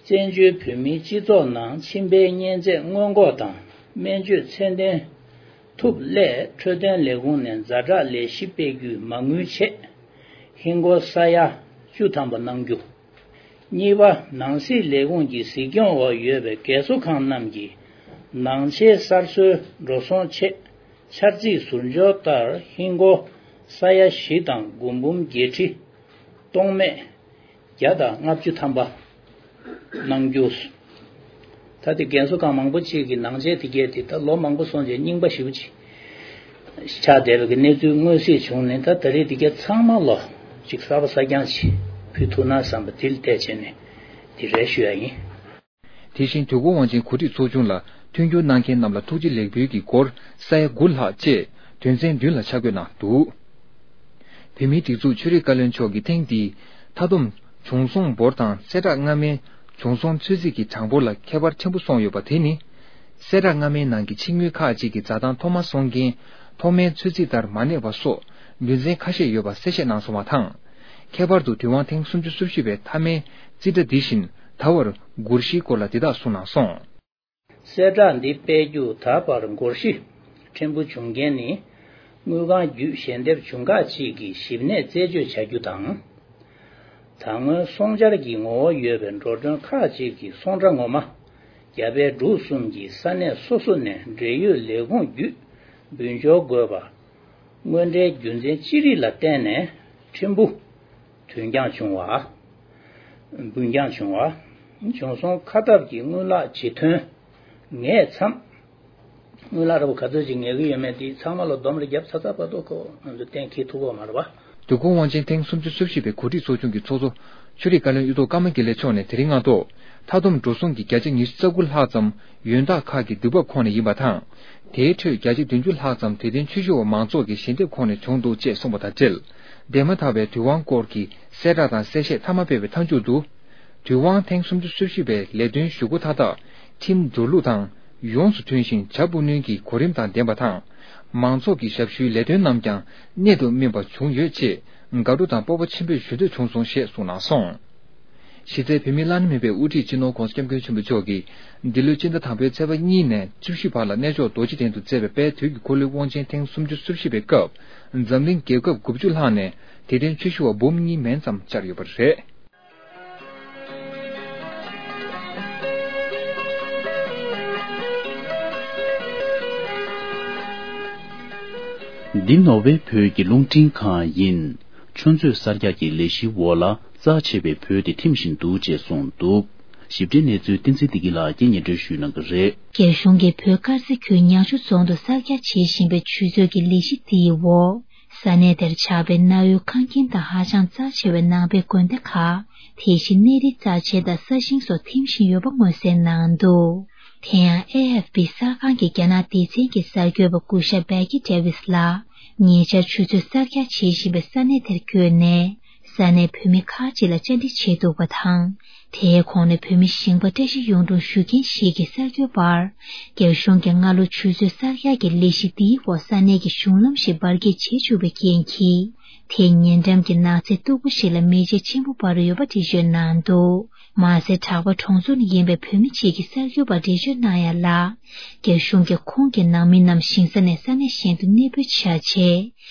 བཙན་བྱོལ་བོད་མིའི་སྤྱི་ཚོགས་ནང་མཆིན་པའི་གཉན་ཚད་སྔོན་འགོག་དང་སྨན་བཅོས་ཚད་ལྡན་ཐུབ་སླད། འཕྲོད་བསྟེན་ལས་ཁུངས་ནས་ཛ་དྲག་ལས་གཞི་སྤེལ་རྒྱུའི་མ་དངུལ་ཆེད་ཧིན་སྒོར་ས་ཡ་བཅུ་ཐམ་པ་གནང་རྒྱུ། གཉིས་པ། ནང་སྲིད་ལས་ཁུངས་ཀྱི་གཟིགས་སྐྱོང་འོག་ཡོད་པའི་རྒས་གསོ་ཁང་རྣམས་ཀྱི་ནང་ཆས་གསར་བཟོའི་འགྲོ་སོང་ཆེད། འཆར་རྩིས་ཟུར་འཇོག་ལྟར་ཧིན་སྒོར་ས་ཡ་བཞི་དང་སྒོར་འབུམ་བརྒྱད་ཁྲི་སྟོང་མེད་བརྒྱ་དང་ལྔ་བཅུ་ཐམ་པ་གནང་རྒྱུ། ད་དེ་རྒན་གསོ་ཁང་མང་པོ་ཅིག་གི་ནང་ཆས་དེ་གས་དེ་ད་ལོ་མང་པོ་སོང་རྗེས་རྙིང་པ་ཞེ་པོ་ཅིག་ཆགས་བསྡད་པའི་གི་གནས་ཚུལ་མངོན་གསལ་བྱུང་ནས། ད་ད་རེས་དེ་གས་ཚང་མ་ལོ་ཅིག་གསར་པ་གསར་རྐྱང་ཅིག་ཕུལ་ཐུབ་ན་བསམ་པ་དེ་ལ་བལྟས་བྱས་ནས་དེ་རེད་ཞུ་ཡ་ཡིན། དེ་བཞིན་དུས་འཁོར་དབང་ཆེན་གོ་སྒྲིག་ཚོགས་ཆུང་ལ་མཐུན་འགྱུར་གནང་མཁན་རྣམས་ལ་ཐུགས་རྗེ་ལེགས་འབུལ་གྱི་སྒོར་ས་ཡ་དགུ་ལྷག་བཅས་དོན་ཚན་བདུན་ལ་ཆ་བགོས་གནང་འདུག། བོད་མིའི་སྒྲིག་འཛུགས་ཆོས་རིག་བཀའ་བློན་མཆོག་གིས་ཐེངས་འདིའི་མཐའ་བསྡོམས་བྱུང་སོང་འབོར་དང་གསལ་བསྒྲགས་སྔ་མའི་བྱུང་སོང་ཚོད་རྩིས་ཀྱི་གྲངས་འབོར་ལ་ཁྱད་པར་ཆེན་པོ་སོང་ཡོད་པ་དེ་ནི། གསལ་བསྒྲགས་སྔ་མའི་ནང་གི་ཕྱི་དངུལ་ཁག་ཅིག་གི་འཛའ་ཐང་ཐོག་མ་སོང་རྐྱེན་ཐོག་མའི་ཚོད་རྩིས་ལྟར་མ་གནས་པ་སོགས་རྒྱུ་མཚན་ཁ་ཤས་ཡོད་པ་གསལ་བཤད་གནང་སོང་བ་དང་། ཁྱད་པར་དུ་དུས་དབང་ཐེངས་སུམ་ཅུ་སོ་བཞི་པའི་མཐའ་མའི་རྩིས་ཁྲ་འདི་བཞིན་ད་བར་སྒོར་བཞིའི་སྐོར་ལ་འདི་དག་གསུངས་གནང་སོང་། གསལ་བསྒྲགས་འདི་སྤེལ་རྒྱུ་ད་བར་སྒོར་བཞི་ཕྲན་བུ་བྱུང་རྐྱེན་ནི། དངུལ་ཁང་བརྒྱུད་ཞལ་འདེབས་བྱུང་ཁག་ཅིག་གི་ཞིབ་གནས་རྩད་གཅོད་བྱ་རྒྱུ་དང་། ད་སྔོན་སོང་འཆར་གྱི་ངོ་བོ་ཡོད་པའི་འགྲོ་གྲོན་ཁག་ཅིག་གི་སོང་ཁྲ་ངོ་མ་རྒྱ་བལ་འབྲུག་གསུམ་གྱི་ས་གནས་སོ་སོ་ནས་འབྲེལ་ཡོད་ལས་ཁུངས་བརྒྱུད་འབུལ་འབྱོར་དགོས་པ། དངོས་འབྲེལ་རྒྱུ་མཚན་ཅི་རིགས་ལ་བརྟེན་ནས་ཕྲན་བུ་དུས་འགྱངས་བྱུང་བ། འབུལ་འགྱངས་བྱུང་བ། བྱུང་སོང་ཁ་ཐབས་ཀྱི་དངུལ་ལག་ཇི་ཐོན་ངས་མཚམས། དངུལ་ལག་ར་བ་ག་ཚོད་ཅིག་ངེས་ཀྱི་ཡོད་མེད་དེ་ཚང་མ་ལ་སྡོམ་རེ་བརྒྱབ་ཚར་ཚར་བར་དུ་ཁོ་ང་ཚོ་གཏན་འཁེལ་ཐུབ་ཀྱི་ཡོད་མ་རེད་པ། དུས་འཁོར་དབང་ཆེན་ཐེངས་སུམ་ཅུ་སོ་བཞི་པའི་གོ་སྒྲིག་ཚོགས་ཆུང་གི་ཚོགས་གཙོ་ཆོས་རིག་བཀའ་བློན་གཡུ་ཐོག་ཀརྨ་དགེ་ལེགས་མཆོག་ནས་དེ་རིང་སྔ་དྲོ། མཐའ་བསྡོམས་འགྲོ་སོང་གི་བརྒྱ་ཆ་ཉི་ཤུ་རྩ་དགུ་ལྷག་ཙམ་ཡོན་བདག་ཁག་གི་དུས་བབ་ཁོངས་ནས་ཡིན་པ་དང་། དེའི་ཁྲོད་བརྒྱ་ཆ་བདུན་ཅུ་ལྷག་ཙམ་དད་ལྡན་ཆོས་ཞུ་བ་མང་ཚོགས་ཀྱི་ཞལ་འདེབས་ཁོངས་ནས་བྱུང་འདུག་ཅེས་གསུངས་པ་དང་འབྲེལ། འདས་མ་ཐག་པའི་དུས་དབང་སྐོར་གྱི་གསལ་བསྒྲགས་དང་གསལ་བཤད་མཐའ་མ་སྤེལ་བའི་མཐའ་མཇུག་ཏུ། དུས་དབང་ཐེངས་སུམ་ཅུ་སོ་བཞི་པའི་ལས་དོན་ཞུ་སྒོ་མཐའ་དག་ཁྲིམས་འགྲོ་ལུགས་དང་ཡོངས་སུ་མཐུན་ཞིང་བྱ་སྤུ་སྣོན་གྱི་གོ་རིམ་དང་ལྡན་པ་དང་། མང་ཚོགས་ཀྱི་ཞབས་ཞུའི་ལས་དོན་རྣམས་ཀྱང་གནད་དུ་སྨིན་པ་བྱུང་ཡོད་ཅེས་དགའ་སྤྲོ་དང་སྤོབས་པ་ཆེན་པོས་ཞུ་འདོད་བྱུང་སོང་ཞེས་གསུངས་གནང་སོང་། གཞི་རྩའི་བོད་མིའི་བླ་ན་མེད་པའི་དབུ་ཁྲིད་སྤྱི་ནོར་༧གོང་ས་༧སྐྱབས་མགོན་ཆེན་པོ་མཆོག་གིས་འདི་ལོའི་སྤྱི་ཟླ་དང་པོའི་ཚེས་པ་གཉིས་ནས་བཅུ་བཞི་བར་ལ་གནས་མཆོག་རྡོ་རྗེ་གདན་དུ་མཛད་པའི་དཔལ་དུས་ཀྱི་འཁོར་ལོའི་དབང་ཆེན་ཐེངས་སུམ་ཅུ་སོ་བཞི་པའི་སྐབས། འཛམ་གླིང་རྒྱལ་ཁབ་དགུ་བཅུ་ལྷག་ནས་དད་ལྡན་ཆོས་ཞུ་བ་འབུམ་གཉིས་མན་ཙམ་བཅར་ཡོད་པ་རེད། འདི་ནོར་ཝེ་བོད་ཀྱི་རླུང་འཕྲིན་ཁང་ཡིན། ཆུ་མཛོད་གསར་རྒྱག་གི་ལས་གཞིའི་འོག་ལ་རྩ་ཆེ་བའི་བོད་དེ་ཐིམ་བཞིན་འདུག་ཅེས་གསུངས་འདུག། ཞིབ་ཕྲའི་གནས་ཚུལ་བསྟན་འཛིན་བདེ་སྐྱིད་ལགས་ཀྱིས་སྙན་སྒྲོན་ཞུ་གནང་གི་རེད། རྒྱ་གཞུང་གིས་བོད་དཀར་མཛེས་ཁུལ་ཉག་ཆུ་རྫོང་དུ་གསར་རྒྱག་བྱེད་བཞིན་པའི་ཆུ་མཛོད་ཀྱི་ལས་གཞི་དེའི་འོག་ས་གནས་དེར་ཆགས་པའི་གནའ་བོའི་ཁང་ཁྱིམ་དང་ཧ་ཅང་རྩ་ཆེ་བའི་ནང་པའི་དགོན་སྡེ་ཁག་དེ་བཞིན་གནས་རིའི་རྩ་ཆེན་དང་ས་ཞིང་སོགས་ཐིམ་བཞིན་ཡོད་པ་མངོན་གསལ་གནང་འདུག། དེ་ཡང་ཨེ་ཨེཕ་པི་གསར་ཁང་གི་རྒྱ་ནག་སྡེ་ཚན་གྱི་གསར་འགོད་པ་སྐུ་ཞབས་བེ་ཀི་ཌེ་ཝིས་ལགས་ཉེ་ཆར་ཆུ་མཛོད་གསར་རྒྱག་བྱེད་བཞིན་པའི་ས་གནས་དེར་བསྐྱོད་ནས། ས་གནས་བོད་མི་ཁག་ཅིག་ལ་བཅར་འདྲི་བྱས་འདུག་པ་དང་། དེའི་གོང་ནས་བོད་མི་ཞིང་པ་བཀྲ་ཤིས་གཡུང་དྲུང་ཞུ་མཁན་ཞིག་གིས་གསར་འགོད་པར། རྒྱ་གཞུང་གིས་སྔ་ལོ་ཆུ་མཛོད་གསར་རྒྱག་གི་ལས་གཞི་འདིའི་འོག་ས་གནས་ཀྱི་གཞུང་ལམ་ཞིག་འབར་གས་བྱེད་བཅུག་པའི་རྐྱེན་གྱིས། དེས་ཉེ་འགྲམ་གྱི་ནགས་ཚལ་སྟུག་པོ་ཞིག་ལ་མེ་ལྕེ་ཆེན་པོ་འབར་ཡོད་པ་འགྲེལ་བརྗོད་གནང་འདུག། མ་ཟད་གྲགས་པ་གྲོང་ཚོ་ནས་ཡིན་པའི་བོད་མི་གཅིག་གིས་གསར་འགོད་པར་འགྲེལ་བརྗོད་གནང་ཡ་ལ། རྒྱ་གཞུང་གིས་ཁོང་གི་ནང་མི་རྣམས་ཞིང་ས་ནས་ས་གནས་གཞན་དུ་གནས་སྤོས་བྱ་ཆེད།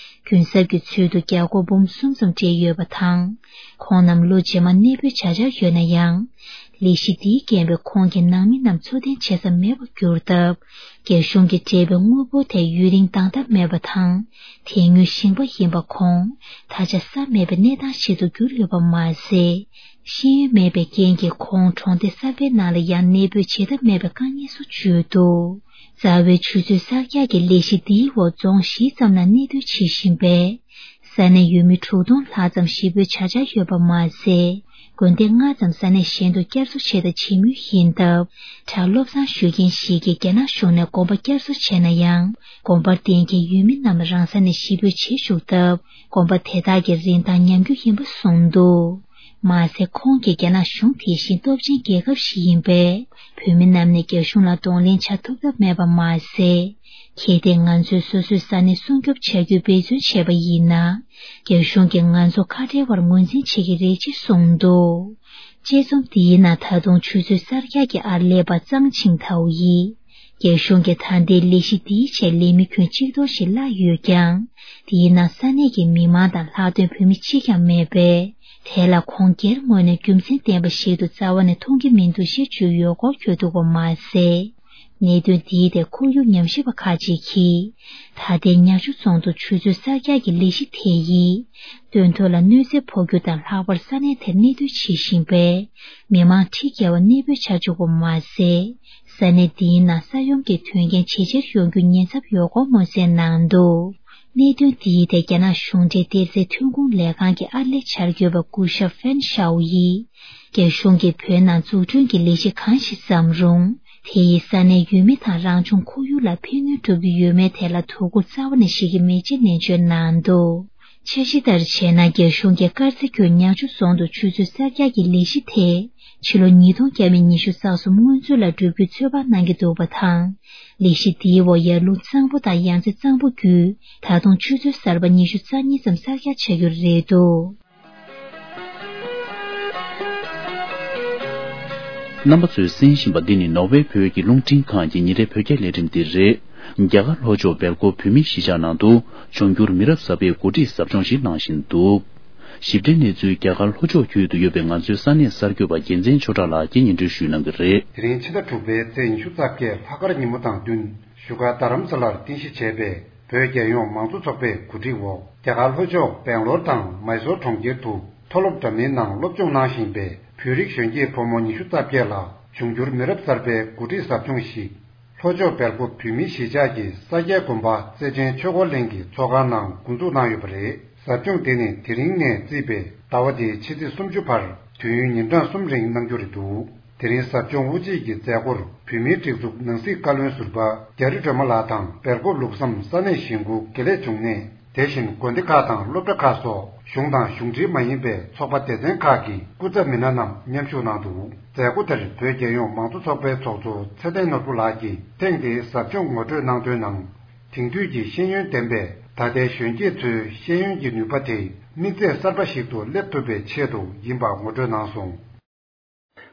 གུན་གསབ་ཀྱི་ཚུལ་དུ་རྒྱ་སྒོར་འབུམ་གསུམ་ཙམ་སྤྲད་ཡོད་པ་དང་། ཁོང་རྣམས་ལོ་རྗེས་མ་གནས་སྤོས་བྱ་འཆར་ཡོད་ན་ཡང་། ལས་གཞི་འདིའི་རྐྱེན་པས་ཁོང་གི་ནང་མི་རྣམས་འཚོ་རྟེན་བྱེད་ས་མེད་པར་གྱུར་སྟབས། རྒྱ་གཞུང་གིས་སྤྲད་པའི་དངུལ་འབོར་དེ་ཡུན་རིང་འདང་ཐབས་མེད་པ་དང་། དེ་སྔོན་ཞིང་པ་ཡིན་པ་ཁོང་ད་ཆ་ས་མེད་པའི་གནས་སྟངས་ཤིག་ཏུ་གྱུར་ཡོད་པ་མ་ཟད། ཤེས་ཡོན་མེད་པའི་རྐྱེན་གྱིས་ཁོང་གྲོང་སྡེ་གསར་པའི་ནང་ལ་ཡང་གནས་སྤོས་བྱེད་ཐབས་མེད་པའི་དཀའ་ངལ་སོགས་བརྗོད་འདུག། རྩ་བའི་ཆུ་མཛོད་གསར་རྒྱག་གི་ལས་གཞི་འདིའི་འོག་རྫོང་བཞི་ཙམ་ལ་གནས་སྡོད་བྱེད་བཞིན་པའི་ས་གནས་ཡུལ་མི་དྲུག་སྟོང་ལྷག་ཙམ་གཞིས་སྤོས་བྱ་འཆར་ཡོད་པ་མ་ཟད། དགོན་སྡེ་ལྔ་ཙམ་ས་གནས་གཞན་དུ་བསྐྱར་གསོ་བྱེད་དང་བྱེད་མུས་ཡིན་སྟབས། བྲག་སློབ་གསང་ཞུ་མཁན་ཞིག་གིས་རྒྱ་ནག་གཞུང་ནས་དགོན་པ་བསྐྱར་གསོ་བྱས་ན་ཡང་། དགོན་པར་བསྡད་མཁན་ཡུལ་མི་རྣམས་རང་ས་ནས་གཞིས་སྤོས་བྱེད་བཅུག་སྟབས། དགོན་པ་དེ་དག་གི་རིན་ཐང་ཉམས་རྒུད་ཡིན་པ་གསུངས་འདུག། མ་ཟད། ཁོང་གིས་རྒྱ་ནག་གཞུང་དེ་བཞིན་སྟོབས་ཆེན་རྒྱལ་ཁབ་ཞིག་ཡིན་པས། བོད་མི་རྣམས་ནས་རྒྱ་གཞུང་ལ་གདོང་ལེན་བྱ་ཐུབ་ཐབས་མེད་པ་མ་ཟད། གལ་ཏེ་ང་ཚོས་སོ་སོའི་ས་གནས་སྲུང་སྐྱོབ་བྱ་རྒྱུའི་འབད་བརྩོན་བྱས་པ་ཡིན་ན། རྒྱ་གཞུང་གིས་ང་ཚོ་ཁ་བྲལ་བར་ངོས་འཛིན་བྱེད་ཀྱི་རེད་ཅེས་གསུངས་འདུག། དཔྱད་རྩོམ་འདིའི་ནང་ད་དུང་ཆུ་ཚོད་གསར་རྒྱག་གི་ཨར་ལས་པ་གཙང་ཆིང་ཐའོ་ཡིས། རྒྱ་གཞུང་གིས་ད་ལྟའི་ལས་གཞི་འདིའི་ཆེད་ལས་མི་ཁྱོན་གཅིག་སྟོང་ཞིག་གླ་ཡོད་ཀྱང་། དེའི་ནང་ས་གནས་ཀྱི་མི་མང་དང་ལྷག་དོན་བོད་མི་གཅིག་ཀྱང་མེད་པས། དེ་ལ་ཁོང་སྒེར་ངོས་ནས་རྒྱུ་མཚན་ལྡན་པ་ཞིག་ཏུ་རྩ་བ་ནས་མཐོང་གི་མི་འདུག་ཞེས་བརྗོད་ཡོད་སྐོར་བརྗོད་འདུག་པ་མ་ཟད། གནད་དོན་འདིའི་ཐད་ཁོར་ཡུག་ཉམས་ཞིབ་པ་ཁག་ཅིག་གིས། ད་ལྟའི་ཉག་ཆུ་རྫོང་དུ་ཆུ་མཛོད་གསར་རྒྱག་གི་ལས་གཞི་དེ་ཡིས། སྟོན་ཐོག་ལ་གནོད་འཚེ་ཕོག་རྒྱུ་དང་། ལྷག་པར་ས་གནས་དེར་གནས་སྡོད་བྱེད་བཞིན་པའི་མི་མང་ཁྲི་བརྒལ་བ་གནས་སྤོས་བྱ་བཅུག་པ་མ་ཟད། ས་གནས་འདིའི་ནང་ས་ཡོམ་གྱི་དོན་རྐྱེན་ཇེ་ཆེར་ཡོང་རྒྱུའི་ཉེན་ཚབས་ཡོད་སྐོར་སྨོན་གསལ་གནང་འདུག། གནད་དོན་འདིའི་ཐད་རྒྱ་ནག་གཞུང་འབྲེལ་གཏེར་རྫས་ཐོན་ཁུངས་ལས་ཁང་གི་ཨར་ལས་བྱ་དགོས་པ་སྐུ་ཞབས་ཧྥན་ཤའོ་ཡིས། རྒྱ་གཞུང་གིས་བོད་ནང་འཛུགས་སྐྲུན་གྱི་ལས་གཞི་གང་ཞིག་བརྩམས་རུང་། དེ་ཡིས་ས་གནས་ཡུལ་མི་དང་རང་བྱུང་ཁོར་ཡུག་ལ་ཕན་གནོད་སྒྲུབ་ཀྱི་ཡོད་མེད་ཐད་ལ་དོ་ཁུར་རྩ་བ་ནས་བཞེས་ཀྱི་མེད་ཅེས་ནན་བརྗོད་གནང་འདུག། འཆར་གཞི་ལྟར་བྱས་ན། རྒྱ་གཞུང་གིས་དཀར་མཛེས་ཁུལ་ཉག་ཆུ་རྫོང་དུ་ཆུ་མཛོད་གསར་རྒྱག་གི་ལས་གཞི་དེ། ཕྱི་ལོ་ཉིས་སྟོང་བརྒྱ་མེད་ཉི་ཤུ་རྩ་གསུམ་སྔོན་ཚུད་ལ་འགྲུབ་རྒྱུའི་ཚོད་དཔག་གནང་གི་འདུག་པ་དང་། ལས་གཞི་འདིའི་འོག་ཡར་ཀླུང་གཙང་པོ་དང་ཡང་རྩེ་གཙང་པོ་བརྒྱུད། ད་དུང་ཆུ་མཛོད་གསར་པ་ཉི་ཤུ་རྩ་གཉིས་ཙམ་གསར་རྒྱག་བྱ་རྒྱུ་རེད་འདུག། རྣམ་པ་ཚོས་གསན་བཞིན་པ་འདི་ནི་ནོར་ཝེ་བོད་ཀྱི་རླུང་འཕྲིན་ཁང་གི་ཉིན་རེའི་བོད་སྐད་ལས་རིམ་འདི་རེད། རྒྱ་གར་ལྷོ་ཕྱོགས་སྦེལ་ཀོབ་བོད་མིའི་གཞིས་ཆགས་ནང་དུ་འབྱུང་འགྱུར་མི་རབས་གསར་པའི་འགོ་ཁྲིད་ཟབ་སྦྱོང་ཞིག་གནང་བཞིན་འདུག། ཞིབ་ཕྲའི་གནས་ཚུལ་རྒྱ་གར་ལྷོ་ཕྱོགས་ཁུལ་དུ་ཡོད་པའི་ང་ཚོའི་ས་གནས་གསར་འགོད་པ་རྒྱལ་མཚན་ཆོས་གྲགས་ལགས་ཀྱིས་སྙན་སྒྲོན་ཞུས་གནང་གི་རེད། དེ་རིང་ཕྱི་ཟླ་དྲུག་པའི་ཚེས་ཉི་ཤུ་རྩ་བརྒྱད་ལྷག་དཀར་ཉིན་མོ་དང་བསྟུན། བཞུགས་སྒར་རྡ་རམ་ས་ལར་རྟེན་གཞི་བྱས་པའི་བོད་རྒྱལ་ཡོངས་མང་གཙོ་ཚོགས་པའི་གོ་སྒྲིག་འོག་རྒྱ་གར་ལྷོ་ཕྱོགས་སྦེང་ལོར་དང་མའི་སོར་གྲོང་ཁྱེར་དུ་མཐོ་སློབ་འདྲ་མིན་ནང་སློབ་སྦྱོང་གནང་བཞིན་པའི་བོད་རིགས་གཞོན་སྐྱེས་ཕོ་མོ་ཉི་ཤུ་རྩ་བརྒྱད་ལ་འབྱུང་འགྱུར་མི་རབས་གསར་པའི་འགོ་ཁྲིད་ཟབ་སྦྱོང་ཞིག་ལྷོ་ཕྱོགས་སྦེལ་ཀོབ་བོད་མིའི་གཞིས་ཆགས་ཀྱི་ས་སྐྱའི་དགོན་པ་རྩེ་ཆེན་ཆོས་འཁོར་གླིང་གི་ཚོགས་ཁང་ནང་འགོ་འཛུགས་གནང་ཡོད་པ་རེད། ཟབ་སྦྱོང་དེ་ནི་དེ་རིང་ནས་བརྩིས་པའི་ཟླ་བ་འདིའི་ཕྱི་ཚེས་སུམ་ཅུ་བར་དུས་ཡུན་ཉིན་གྲངས་གསུམ་རིང་གནང་རྒྱུ་རེད་འདུག། དེ་རིང་ཟབ་སྦྱོང་དབུ་འབྱེད་ཀྱི་མཛད་སྒོར་བོད་མིའི་སྒྲིག་འཛུགས་ནང་སྲིད་བཀའ་བློན་ཟུར་པ་རྒྱ་རི་སྒྲོལ་མ་ལགས་དང་སྦེལ་ཀོབ་ལུགས་བསམ་ས་གནས་གཞིས་འགོ་དགེ་ལེགས་འབྱུང་གནས། དེ་བཞིན་དགོན་སྡེ་ཁག་དང་སློབ་གྲྭ་ཁག་སོགས་གཞུང་དང་གཞུང་འབྲེལ་མ་ཡིན་པའི་ཚོགས་པ་སྡེ་ཚན་ཁག་གི་སྐུ་ཚབ་མི་སྣ་རྣམས་མཉམ་ཞུགས་གནང་འདུག། མཛད་སྒོ་དེར་བོད་རྒྱལ་ཡོངས་མང་གཙོ་ཚོགས་པའི་ཚོགས་གཙོ་ཚེ་བརྟན་ནོར་བུ་ལགས་ཀྱིས་ཐེངས་འདིའི་ཟབ་སྦྱོང་ངོ་སྤྲོད་གནང་དོན་ནང་། དེང་དུས་ཀྱི་ཤེས་ཡོན་ལྡན་པའི་ད་ལྟའི་གཞོན་སྐྱེས་ཚོའི་ཤེས་ཡོན་གྱི་ནུས་པ་དེ་དམིགས་ཚད་གསར་པ་ཞིག་ཏུ་སླེབས་ཐུབ་པའི་ཆེད་དུ་ཡིན་པ་ངོ་སྤྲོད་གནང་སོང་།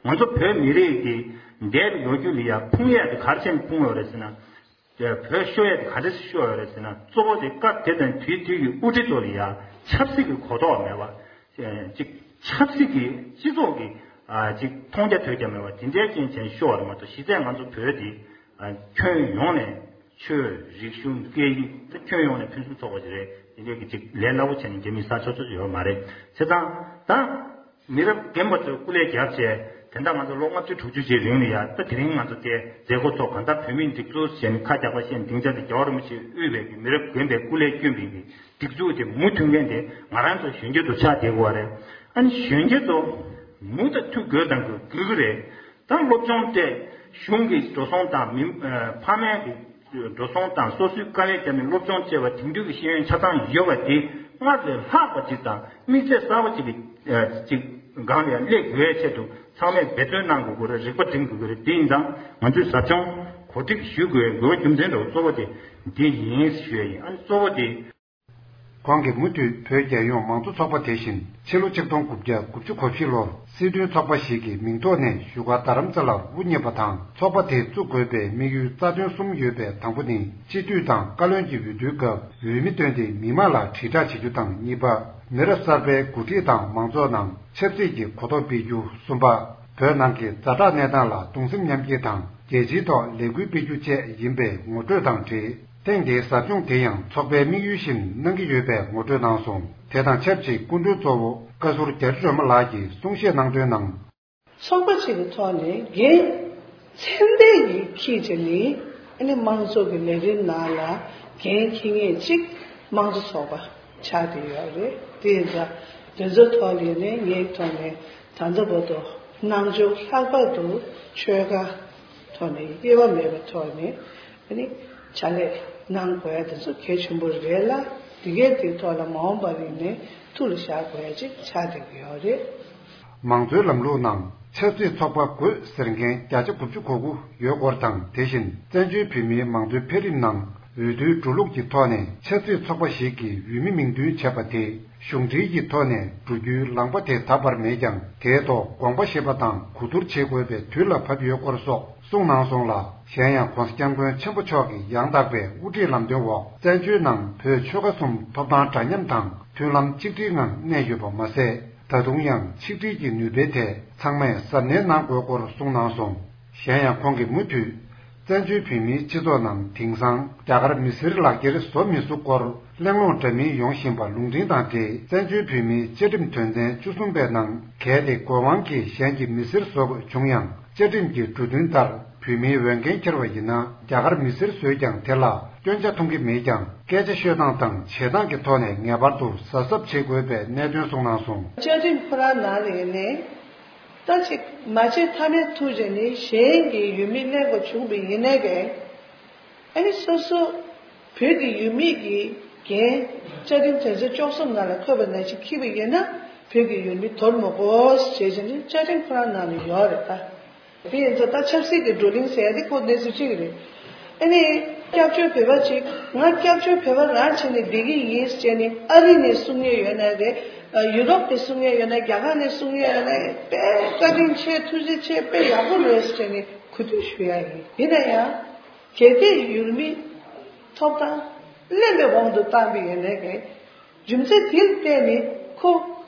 ང་ཚོ་བོད་མི་རིགས་ཀྱི་འདས་པའི་ལོ་རྒྱུས་ལ་ཡ་ཕུང་ཡས་དེ་ག་རེ་བྱས་ནས་ཕུང་ཡོད་རེད་ཟེར་ན། བོད་ཤོར་ཡས་དེ་ག་འདྲ་ཞིག་ཤོར་ཡོད་རེད་ཟེར་ན། གཙོ་བོ་དེ་སྐབས་དེ་དང་དེའི་དུས་ཀྱི་དབུ་ཁྲིད་ཚོ་ལ་ཡ་ཆབ་སྲིད་ཀྱི་གོ་རྟོགས་མེད་པ། ཅིག་ཆབ་སྲིད་ཀྱི་སྤྱི་ཚོགས་ཀྱི་ཅིག་མཐོང་རྒྱ་ཐོས་རྒྱ་མེད་པ་དེ་འདྲའི་རྐྱེན་བྱས་ཤོར་བ་རེད་མ་གཏོགས། གཞི་རྩའི་ང་ཚོ་བོད་དེ་ཁྱོན་ཡོངས་ནས་ཆོས་རིག་གཞུང་སྐད་ཡིག་ད་ཁྱོན་ཡོངས་ནས་ཕུན་སུམ་ཚོགས་པ་ཞིག་རེད། དེ་འདྲའི་གི་ཅིག་ལས་སླ་པོ་བྱས་ནས་རྒྱ་མིས་ཟ་ཆོག་ཆོག་ཡོད་མ་རེད། བྱས་ཙང་ད། མི་རབས་རྒན་པ་ཚོས་སྐུ་ལས་བརྒྱབ་བྱས། དེ་འདྲ་ང་ཚོ་ལོ་ལྔ་བཅུ་དྲུག་ཅུ་ཅིག་རིང་ལ་ཡ། ད་དེ་རིང་ང་ཚོ་དེ་མཛད་སྒོ་ཚོགས། གང་ལྟར་བོད་མིའི་སྒྲིག་འཛུགས་ཟེར་ནས་ཁ་རྒྱག་པ་བཤད་ནས་སྡིངས་ཆ་དེ་རྒྱལ་བ་རིན་པོ་ཆེས་དབུས་པའི་གི་མི་རབས་རྒན་པའི་སྐུ་ལས་བསྐྱོན་པའི་གི་སྒྲིག་འཛུགས་དེ་མུ་མཐུད་མཁན་དེ་ང་རང་ཚོ་གཞོན་སྐྱེས་ཚོ་ཆགས་བསྡད་དགོས་པ་རེད། ཨ་ནི་གཞོན་སྐྱེས་ཚོ་མུ་མཐུད་དགོས་དང་དགོས་དགོས་ཀྱི་རེད། ད་སློབ་སྦྱོང་སྤྲད། གཞུང་གི་འགྲོ་སོང་དང་མི་ཕ་མའི་གི་འགྲོ་སོང་དང་སོ་སོའི་དཀའ་ལས་བརྒྱབ་ནས་སློབ་སྦྱོང་བྱས་པ་དེང་དུས་ཀྱི་ཤེས་ཡོན་ཆ་ཚང་ཡོད་པ་དེ་སྔར་ལས་ལྷག་པ་ཅིག་དང་དམིགས་ཚད་གསར་པ་ཅིག་གི་ཅིག་སྒང་ལ་ཡང་སླེབས་དགོས་ཡའི་ཆེད་དུ་ཚང་མས་འབད་བརྩོན་གནང་དགོས་ཀྱི་རེད། རིག་པ་སྒྲིམ་དགོས་ཀྱི་རེད། དེ་ཡིན་ཙང་ང་ཚོས་ཟབ་སྦྱོང་གོ་སྒྲིག་ཞུ་དགོས་པའི་དགོས་པ་རྒྱུ་མཚན་འདྲ་བོ་གཙོ་བོ་དེ་འདི་ཡིན་ཞུ་ཡ་ཡིན། ཨ་ནི་གཙོ་བོ་དེ། ཁོང་གིས་མུ་མཐུད་བོད་རྒྱལ་ཡོངས་མང་གཙོ་ཚོགས་པ་དེ་བཞིན་ཕྱི་ལོ་ཆིག་སྟོང་དགུ་བརྒྱ་དགུ་བཅུ་གོ་བཞི་ལོར་སྲིད་དོན་ཚོགས་པ་ཞིག་གི་མིང་ཐོག་ནས་བཞུགས་སྒར་རྡ་རམ་ས་ལར་དབུ་བརྙེས་པ་དང་། ཚོགས་པ་དེ་བཙུགས་དགོས་པའི་དམིགས་ཡུལ་རྩ་དོན་གསུམ་ཡོད་པའི་དང་པོ་ནི། སྤྱི་འཐུས་དང་བཀའ་བློན་གྱི་འོས་བསྡུའི་སྐབས་འོས་མི་བཏོན་ཏེ་མི་མང་ལ་དྲིལ་བསྒྲགས་བྱེད་རྒྱུ་དང་། གཉིས་པ། མི་རབས་གསར་པའི་འགོ་ཁྲིད་དང་མང་ཚོགས་ནང་ཆབ་སྲིད་ཀྱི་གོ་རྟོགས་སྤེལ་རྒྱུ། གསུམ་པ། བོད་ནང་གི་ཛ་དྲག་གནས་སྟངས་ལ་གདུང་སེམས་མཉམ་སྐྱེད་དང་རྒྱལ་སྤྱིའི་ཐོག་ལས་འགུལ་སྤེལ་རྒྱུ་བཅས་ཡིན་པའི་ངོ་སྤྲོད་དང་འབྲེལ། ཐེངས་འདིའི་ཟབ་སྦྱོང་དེ་ཡང་ཚོགས་པའི་དམིགས་ཡུལ་བཞིན་གནང་གི་ཡོད་པའི་ངོ་སྤྲོད་གནང་སོང་། དེ་དང་ཆབས་ཅིག་སྐུ་མགྲོན་གཙོ་བོ་བཀའ་ཟུར་རྒྱ་རི་སྒྲོལ་མ་ལགས་ཀྱིས་གསུང་བཤད་གནང་དོན་ནང་། ཚོགས་པ་གཅིག་གི་ཐོག་ནས་འགན་ཚད་ལྡན་གྱི་འཁྱེར་བྱས་ནས། ཨ་ནི་དམངས་གཙོ་གི་ལས་རིམ་ནང་ལ་འགན་འཁྱེར་མཁན་གཅིག་དམངས་གཙོ་ཚོགས་པ་ཆགས་བསྡད་ཡོད་རེད། དེ་ཡིན་ཙང་དེ་ཚོའི་ཐོག་ལ་ནས་ངའི་ཐོག་ནས། ད་ལྟ་བར་དུ་རྣམ་འབྱོར་ལྷག་པར་དུ་ཆོལ་ཁ་ཐོག་ནས་དབྱེ་བ་མེད་པའི་ཐོག་ནས་ཨ་ནི་ཕྱག་ལས་གནང་དགོས་ཡ་དེ་ཚོ་གལ་ཆེན་པོ་རེད་ལ། དེ་གའི་དེའི་ཐོག་ལ་མ་འོངས་པ་རིང་ནས་ཐུགས་ལ་བཞག་དགོས་ཡ་ཅིག་ཆགས་བསྡད་ཀྱི་ཡོད་རེད། མང་གཙོའི་ལམ་ལུགས་ནང་ཆབ་སྲིད་ཚོགས་པ་དགོས་ཟེར་མཁན་བརྒྱ་ཆ་དགུ་བཅུ་གོ་དགུ་ཡོད་སྐོར་དང་། དེ་བཞིན་བཙན་བྱོལ་བོད་མིའི་མང་གཙོའི་འཕེལ་རིམ་ནང་འོས་བསྡུའི་འགྲོ་ལུགས་ཀྱི་ཐོག་ནས་ཆབ་སྲིད་ཚོགས་པ་ཞིག་གི་འོས་མི་མིང་འདོན་བྱས་པ་དེ་གཞུང་འབྲེལ་གྱི་ཐོག་ནས་འགྲོ་རྒྱུའི་ལམ་ཁ་དེ་ད་བར་མེད་ཀྱང་། དེའི་ཐོག་དགོངས་པ་བཞེས་པ་དང་གོ་བསྡུར་བྱེད་དགོས་པའི་དུས་ལ་བབ་ཡོད་སྐོར་སོགས་གསུངས་གནང་སོང་ལ། གཞན་ཡང་༸གོང་ས་༸སྐྱབས་མགོན་ཆེན་པོ་མཆོག་གི་ཡང་དག་པའི་དབུ་ཁྲིད་ལམ་སྟོན་འོག་བཙན་བྱོལ་ནང་བོད་ཆོལ་ཁ་གསུམ་ཐོབ་ཐང་འདྲ་མཉམ་དང་མཐུན་ལམ་གཅིག་སྒྲིལ་ངང་གནས་ཡོད་པ་མ་ཟད། ད་དུང་ཡང་ཆིག་སྒྲིལ་གྱི་ནུས་པའི་ཐད་ཚང་མས་གཟབ་ནན་གནང་དགོས་སྐོར་གསུངས་གནང་སོང་། གཞན་ཡང་ཁོང་གིས་མུ་མཐུད་བཙན་བྱོལ་བོད་མིའི་སྤྱི་ཚོགས་ནང་དེང་སང་རྒྱ་གར་མི་སེར་ལག་འཁྱེར་བཟོ་མི་ཚུགས་སྐོར་གླེང་སློང་འདྲ་མིན་ཡོང་བཞིན་པ་ལུང་འདྲེན་དང་འབྲེལ། བཙན་བྱོལ་བོད་མིའི་བཅའ་ཁྲིམས་དོན་ཚན་བཅུ་གསུམ་པའི་ནང་གལ་ཏེ་དགོས་དབང་གིས་གཞན་གྱི་མི་སེར་བཟོ་དགོས་བྱུང་ཡང་། བཅའ་ཁྲིམས་ཀྱི་འབྲུ་དོན་ལྟར་བོད་མིའི་འོས་འགན་འཁྱེར་བ་ཡིན་ན་རྒྱ་གར་མི་སེར་བཟོས་ཀྱང་དེ་ལ་སྐྱོན་ཆ་མཐོང་གི་མེད་ཀྱང་། སྐད་ཆ་ཤོད་སྟངས་དང་བྱེད་སྟངས་ཀྱི་ཐོག་ནས་ངེས་པར་དུ་གཟབ་གཟབ་བྱེད་དགོས་པའི་གནད་དོན་གསུངས་གནང་སོང་། བཅའ་ཁྲིམས་ཁོ་རང་ནང་ལ་ཡིན་ནའི། ད་ཅིག་མ་བྱེད་ཐབས་མེད་ཐུག་བྱས་ནས་གཞན་གྱི་འོས་མི་ལེན་དགོས་བྱུང་བ་ཡིན་ནའི་གས། ཨ་ནི་སོ་སོ་བོད་ཀྱི་འོས་མི་གི་འགན་བཅའ་ཁྲིམས་དོན་ཚན་བཅུ་གསུམ་ནང་ལ་འཁོད་པ་ནང་བཞིན་འཁྱེར་བ་ཡིན་ན་བོད་ཀྱི་འོས་མི་དོར་མི་དགོས་ཞེས་བྱས་ནས་བཅའ་ཁྲིམས་ཁོ་རང་ནང་ལ་ཡོད་རེད་ད། དེ་ཡིན་ཙང་ད་ཆབ་སྲིད་ཀྱི་བགྲོ་གླེང་ཟེར་ཡ་དེ་ཁོ་གནས་ཚུལ་གཅིག་རེད། ཨ་ནི་སྐྱབས་བཅོལ་བོད་པ་ཅིག་ང་སྐྱབས་བཅོལ་བོད་པ་རང་བྱས་ནས་བསྡད་ཀྱི་ཡིན་ཟེར་ནས་ཨ་རི་ནས་གསུང་མཁན་ཡོད་ན་རེད། ཡུ་རོབ་ནས་གསུང་མཁན་ཡོད་ན། རྒྱ་གར་ནས་གསུང་མཁན་ཡོད་ན་དཔེ་བཀའ་དྲིན་ཆེ། ཐུགས་རྗེ་ཆེ། དཔེ་ཡག་པོ་རེད་ཟེར་ནས་གུས་འདུད་ཞུ་ཡ་ཡིན། ཡིན་ན་ཡང་གལ་ཏེ་འོས་མི་ཐོབ་ཐང་ལེན་པའི་དབང་དུ་བཏང་པ་ཡིན་ན་གས། རྒྱུ་མཚན་དེ་ལ་བརྟེན་ནས་ཁོ་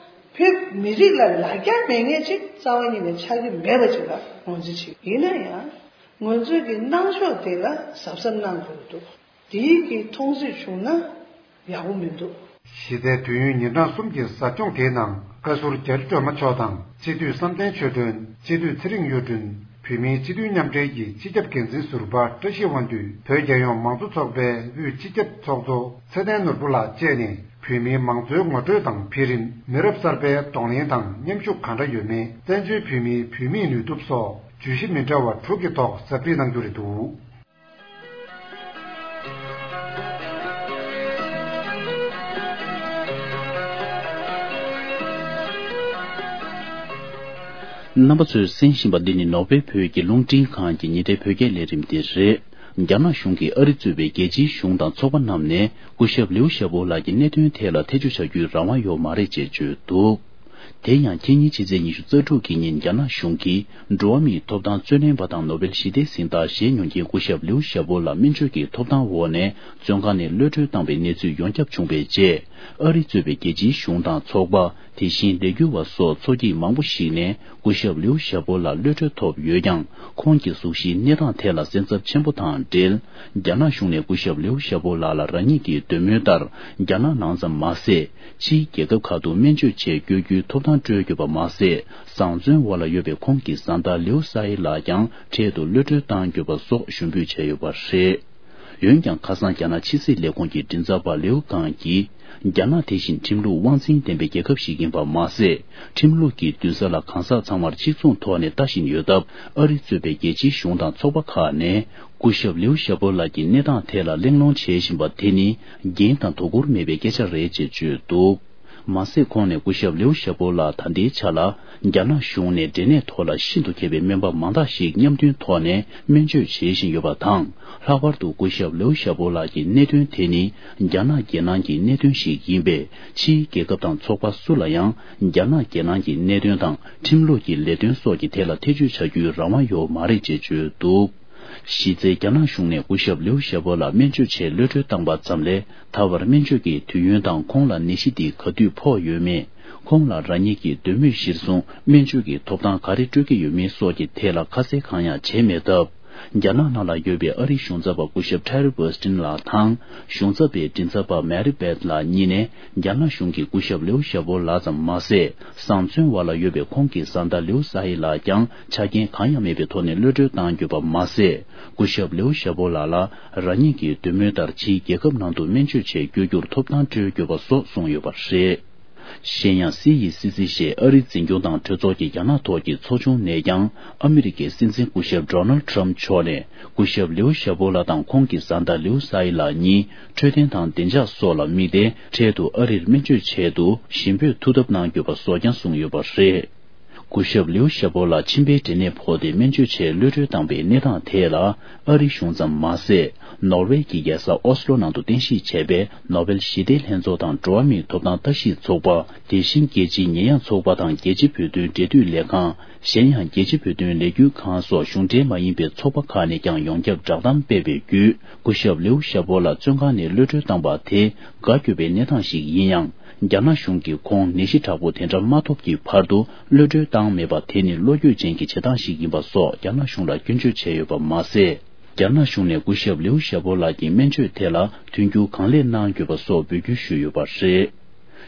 བོད་མི་རིགས་ལ་ལ་རྒྱ་མེད་མཁན་ཅིག་རྩ་བ་ཉིད་ནས་ཆགས་ཀྱི་མེད་པ་ཅིག་ལ་ངོས་འཛིན་བྱེད། ཡིན་ན་ཡང་ང་ཚོའི་གི་གནང་ཕྱོགས་དེ་ལ་གཟབ་གཟབ་གནང་དགོས་འདུག་དེའི་གི་མཐོང་ཚུལ་བྱུང་ན་ཡག་པོ་མི་འདུག་གཞི་རྩའི་དུས་ཡུན་ཉིན་གྲངས་གསུམ་གྱི་ཟབ་སྦྱོང་དེའི་ནང་བཀའ་ཟུར་རྒྱ་རི་སྒྲོལ་མ་མཆོག་དང་། སྤྱི་འཐུས་བསམ་གཏན་ཆོས་སྒྲོན། སྤྱི་འཐུས་ཚེ་རིང་གཡུ་སྒྲོན། བོད་མིའི་སྤྱི་འཐུས་མཉམ་འབྲེལ་གྱི་སྤྱི་ཁྱབ་འགན་འཛིན་ཟུར་པ་བཀྲ་ཤིས་དབང་འདུས། བོད་རྒྱལ་ཡོངས་མང་གཙོ་ཚོགས་པའི་དབུས་སྤྱི་ཁྱབ་ཚོགས་གཙོ་ཚེ་བརྟན་ནོར་བུ་ལགས་བཅས་ནས་བོད་མིའི་མང་གཙོའི་ངོ་སྤྲོད་དང་འཕེལ་རིམ། མི་རབས་གསར་པའི་གདོང་ལེན་དང་མཉམ་ཞུགས་གང་འདྲ་ཡོད་མེད། བཙན་བྱོལ་བོད་མིའི་བུད་མེད་ནུས་སྟོབས་སོགས་བརྗོད་གཞི་མི་འདྲ་བ་དྲུག་གི་ཐོག་ཟབ་ཁྲིད་གནང་རྒྱུ་རེད་འདུག་རྣམ་པ་ཚོས་གསན་བཞིན་པ་འདི་ནི་ནོར་ཝེ་བོད་ཀྱི་རླུང་འཕྲིན་ཁང་གི་ཉིན་རེའི་བོད་སྐད་ལས་རིམ་དེ་རེད། རྒྱ་ནག་གཞུང་གིས་ཨ་རི་གཙོས་པའི་རྒྱལ་སྤྱིའི་གཞུང་དང་ཚོགས་པ་རྣམས་ནས་སྐུ་ཞབས་ལིའུ་ཞའོ་པོ་ལགས་ཀྱི་གནད་དོན་ཐད་ལ་ཐེ་བྱུས་བྱ་རྒྱུའི་རང་དབང་ཡོད་མ་རེད་ཅེས་བརྗོད་འདུག་དེ་ཡང་ཁེ་ཉིན་ཕྱི་ཚེས་ཉི་ཤུ་རྩ་དྲུག་གི་ཉིན་རྒྱ་ནག་གཞུང་གིས་འགྲོ་བ་མིའི་ཐོབ་ཐང་རྩོད་ལེན་པ་དང་ནོ་བེལ་ཞི་བདེའི་གཟེངས་རྟགས་བཞེས་མྱོང་མཁན་སྐུ་ཞབས་ལིའུ་ཞའོ་པོ་ལགས་སྨན་བཅོས་ཀྱི་ཐོབ་ཐང་འོག་ནས་བཙོན་ཁང་ནས་གློད་གྲོལ་བཏང་བའི་གནས་ཚུལ་ཡོངས་ཁྱབ་བྱུང་བའི་རྗེས། ཨ་རི་གཙོས་པའི་རྒྱལ་སྤྱིའི་གཞུང་དང་ཚོགས་པ། དེ་བཞིན་ལས་འགུལ་བ་སོགས་ཚོགས་སྐྱིད་མང་པོ་ཞིག་ནས་སྐུ་ཞབས་ལིའུ་ཞའོ་པོ་ལགས་གློད་གྲོལ་ཐོབ་ཡོད་ཀྱང་། ཁོང་གི་གཟུགས་གཞིའི་གནས་སྟངས་ཐད་ལ་སེམས་འཚབ་ཆེན་པོ་དང་འབྲེལ། རྒྱ་ནག་གཞུང་ནས་སྐུ་ཞབས་ལིའུ་ཞའོ་པོ་ལགས་ལ་རང་ཉིད་ཀྱི་འདོད་མོས་ལྟར་རྒྱ་ནག་ནང་ཙམ་མ་ཟད། ཕྱིའི་རྒྱལ་ཁབ་ཁག་ཏུ་སྨན་བཅོས་ཆེད་བསྐྱོད་རྒྱུའི་ཐོབ་ཐང་སྤྲོད་དགོས་པ་མ་ཟད། བཟང་བཙོན་འོག་ལ་ཡོད་པའི་ཁོང་གི་བཟའ་ཟླ་ལིའུ་སཱ་ཧི་ལགས་ཀྱང་འཕྲལ་དུ་གློད་གྲོལ་གཏང་དགོས་པ་སོགས་ཞུ་འབོད་བྱས་ཡོད་པ་རེད། འོན་ཀྱང་། ཁ་སང་རྒྱ་ནག་ཕྱི་སྲིད་ལས་ཁུངས་ཀྱི་མགྲིན་ཚབ་པ་ལིའུ་ཀང་གིས། རྒྱ་ནག་དེ་བཞིན་ཁྲིམས་ལུགས་དབང་འཛིན་ལྡན་པའི་རྒྱལ་ཁབ་ཞིག་ཡིན་པ་མ་ཟད། ཁྲིམས་ལུགས་ཀྱི་འདུན་ས་ལ་གང་ཟག་ཚང་མར་གཅིག་མཚུངས་ཐོག་ནས་ལྟ་བཞིན་ཡོད་སྟབས། ཨ་རི་གཙོས་པའི་རྒྱལ་སྤྱིའི་གཞུང་དང་ཚོགས་པ་ཁག་ནས། སྐུ་ཞབས་ལིའུ་ཞའོ་པོ་ལགས་ཀྱི་གནས་སྟངས་ཐད་ལ་གླེང་སློང་བྱེད་བཞིན་པ་དེ་ནི། འགན་དང་དོ་ཁུར་མེད་པའི་སྐད་ཆ་རེད་ཅེས་བརྗོད་འདུག་མ་ཟད། ཁོང་ནས་སྐུ་ཞབས་ལིའུ་ཞའོ་པོ་ལགས་ད་ལྟའི་ཆ་ལ། རྒྱ་ནག་གཞུང་ནས་འབྲས་ནད་ཐོག་ལ་ཤིན་ཏུ་མཁས་པའི་སྨན་པ་མང་དག་ཞིག་མཉམ་འདུན་ཐོག་ནས་སྨན་བཅོས་བྱེད་བཞིན་ཡོད་པ་དང་། ལྷག་པར་དུ་སྐུ་ཞབས་ལིའུ་ཞའོ་པོ་ལགས་ཀྱི་གནད་དོན་དེ་ནི། རྒྱ་ནག་རྒྱལ་ནང་གི་གནད་དོན་ཞིག་ཡིན་པས། ཕྱིའི་རྒྱལ་ཁབ་དང་ཚོགས་པ་སུ་ལ་ཡང་། རྒྱ་ནག་རྒྱལ་ནང་གི་གནད་དོན་དང་། ཁྲིམས་ལུགས་ཀྱི་ལས་དོན་སོགས་ཀྱི་ཐད་ལ་ཐེ་བྱུས་བྱ་རྒྱུའི་རང་དབང་ཡོད་མ་རེད་ཅེས་བརྗོད་འདུག་གཞི་རྩའི་རྒྱ་ནག་གཞུང་ནས་སྐུ་ཞབས་ལིའུ་ཞའོ་པོ་ལགས་སྨན་བཅོས་ཆེད་གློད་གྲོལ་བཏང་པ་ཙམ་ལས། ད་བར་སྨན་བཅོས་ཀྱི་དུས་ཡུན་དང་། ཁོང་ལ་ནད་གཞི་འདི་ག་དུས་ཕོག་ཡོད་མེད། ཁོང་ལ་རང་ཉིད་ཀྱི་འདོད་མོས་གཞིར་བཟུང་སྨན་བཅོས་ཀྱི་ཐོབ་ཐང་ག་རེ་སྤྲོད་ཀྱི་ཡོད་མེད་སོགས་ཀྱི་ཐད་ལ་ཁ་གསལ་གང་ཡང་བྱས་མེད་སྟབས། རྒྱ་ནག་ནང་ལ་ཡོད་པའི་ཨ་རིའི་གཞུང་ཚབ་པ་སྐུ་ཞབས་ཁྲེ་རི་བྷར་སྟིན་ལགས་དང་། གཞུང་ཚབ་པའི་མགྲིན་ཚབ་པ་མེ་རི་བེད་ལགས་གཉིས་ནས། རྒྱ་ནག་གཞུང་གིས་སྐུ་ཞབས་ལིའུ་ཞའོ་པོ་ལགས་ཙམ་མ་ཟད། བཟང་བཙོན་འོག་ལ་ཡོད་པའི་ཁོང་གི་བཟའ་ཟླ་ལིའུ་སཱ་ཧི་ལགས་ཀྱང་ཆ་རྐྱེན་གང་ཡང་མེད་པའི་ཐོག་ནས་གློད་གྲོལ་གཏང་དགོས་པ་མ་ཟད། སྐུ་ཞབས་ལིའུ་ཞའོ་པོ་ལགས་ལ་རང་ཉིད་ཀྱི་འདོད་མོས་ལྟར་ཕྱིའི་རྒྱལ་ཁབ་ནང་དུ་སྨན་བཅོས་ཆེད་བསྐྱོད་རྒྱུར་ཐོབ་ཐང་སྤྲོད་དགོས་པ་སོགས་གསུངས་ཡོད་པ་རེད། གཞན་ཡང་སི་ཡི་སི་སི་ཞེས་ཨ་རིའི་འཛིན་སྐྱོང་དང་གྲོས་ཚོགས་ཀྱི་རྒྱ་ནག་ཐོག་གི་ཚོགས་ཆུང་ནས་ཀྱང་ཨ་མི་རི་ཀའི་སྲིད་འཛིན་སྐུ་ཞབས་ཌོ་ནལ་ཌི་ཊརམ་ཕི་མཆོག་ནས་སྐུ་ཞབས་ལིའུ་ཞའོ་པོ་ལགས་དང་ཁོང་གི་བཟའ་ཟླ་ལིའུ་སའི་ལགས་གཉིས་འཕྲོད་བསྟེན་དང་བདེ་འཇགས་སོགས་ལ་དམིགས་ཏེ་འཕྲལ་དུ་ཨ་རིར་སྨན་བཅོས་ཆེད་དུ་ཞིང་བོད་ཐུག་ཐབས་གནང་དགོས་པ་སོགས་ཀྱང་གསུངས་ཡོད་པ་རེད། སྐུ་ཞབས་ལིའུ་ཞའོ་པོ་ལགས་མཆིན་པའི་འབྲས་ནད་ཕོག་སྟེ་སྨན་བཅོས་ཆེད་གློད་གྲོལ་བཏང་པའི་གནས་སྟངས་ཐད་ལ། ཨ་རིའི་གཞུང་ཙམ་མ་ཟད། ནོར་ཝེ་གྱི་རྒྱལ་ས་ཨོ་སི་ལོ་ནང་དུ་རྟེན་གཞི་བྱས་པའི་ནོ་བེལ་ཞི་བདེའི་ལྷན་ཚོགས་དང་འགྲོ་བ་མིའི་ཐོབ་ཐང་ལྟ་ཞིབ་ཚོགས་པ། དེ་བཞིན་རྒྱལ་སྤྱིའི་ཉེས་ཡངས་ཚོགས་པ་དང་རྒྱལ་སྤྱི་བོད་དོན་འབྲེལ་མཐུད་ལས་ཁང་། གཞན་ཡང་རྒྱལ་སྤྱི་བོད་དོན་ལས་འགུལ་ཁང་སོགས་གཞུང་འབྲེལ་མ་ཡིན་པའི་ཚོགས་པ་ཁག་ནས་ཀྱང་ཡོངས་ཁྱབ་བསྒྲགས་གཏམ་སྤེལ་བའི་བརྒྱུད། སྐུ་ཞབས་ལིའུ་ཞའོ་པོ་ལགས་བཙོན་ཁང་ནས་གློད་གྲོལ་བཏང་པ་དེ་དགའ་སྐྱོ་བའི་གནས་སྟངས་ཤིག་ཡིན་ཡང་། རྒྱ་ནག་གཞུང་གིས་ཁོང་ནད་གཞི་དྲག་པོ་དེ་འདྲ་མ་ཐོབ་ཀྱི་བར་དུ་གློད་གྲོལ་བཏང་མེད་པ་དེ་ནི་བློ་འགྱོད་ཅན་གྱི་བྱེད་སྟངས་ཤིག་ཡིན་པ་སོགས་རྒྱ་ནག་གཞུང་ལ་སྐྱོན་བརྗོད་བྱས་ཡོད་པ་མ་ཟད། རྒྱ་ནག་གཞུང་ནས་སྐུ་ཞབས་ལིའུ་ཞའོ་པོ་ལགས་ཀྱི་སྨན་བཅོས་ཐད་ལ་མཐུན་འགྱུར་གང་ལེགས་གནང་དགོས་པ་སོགས་འབོད་སྐུལ་ཞུས་ཡོད་པ་རེད།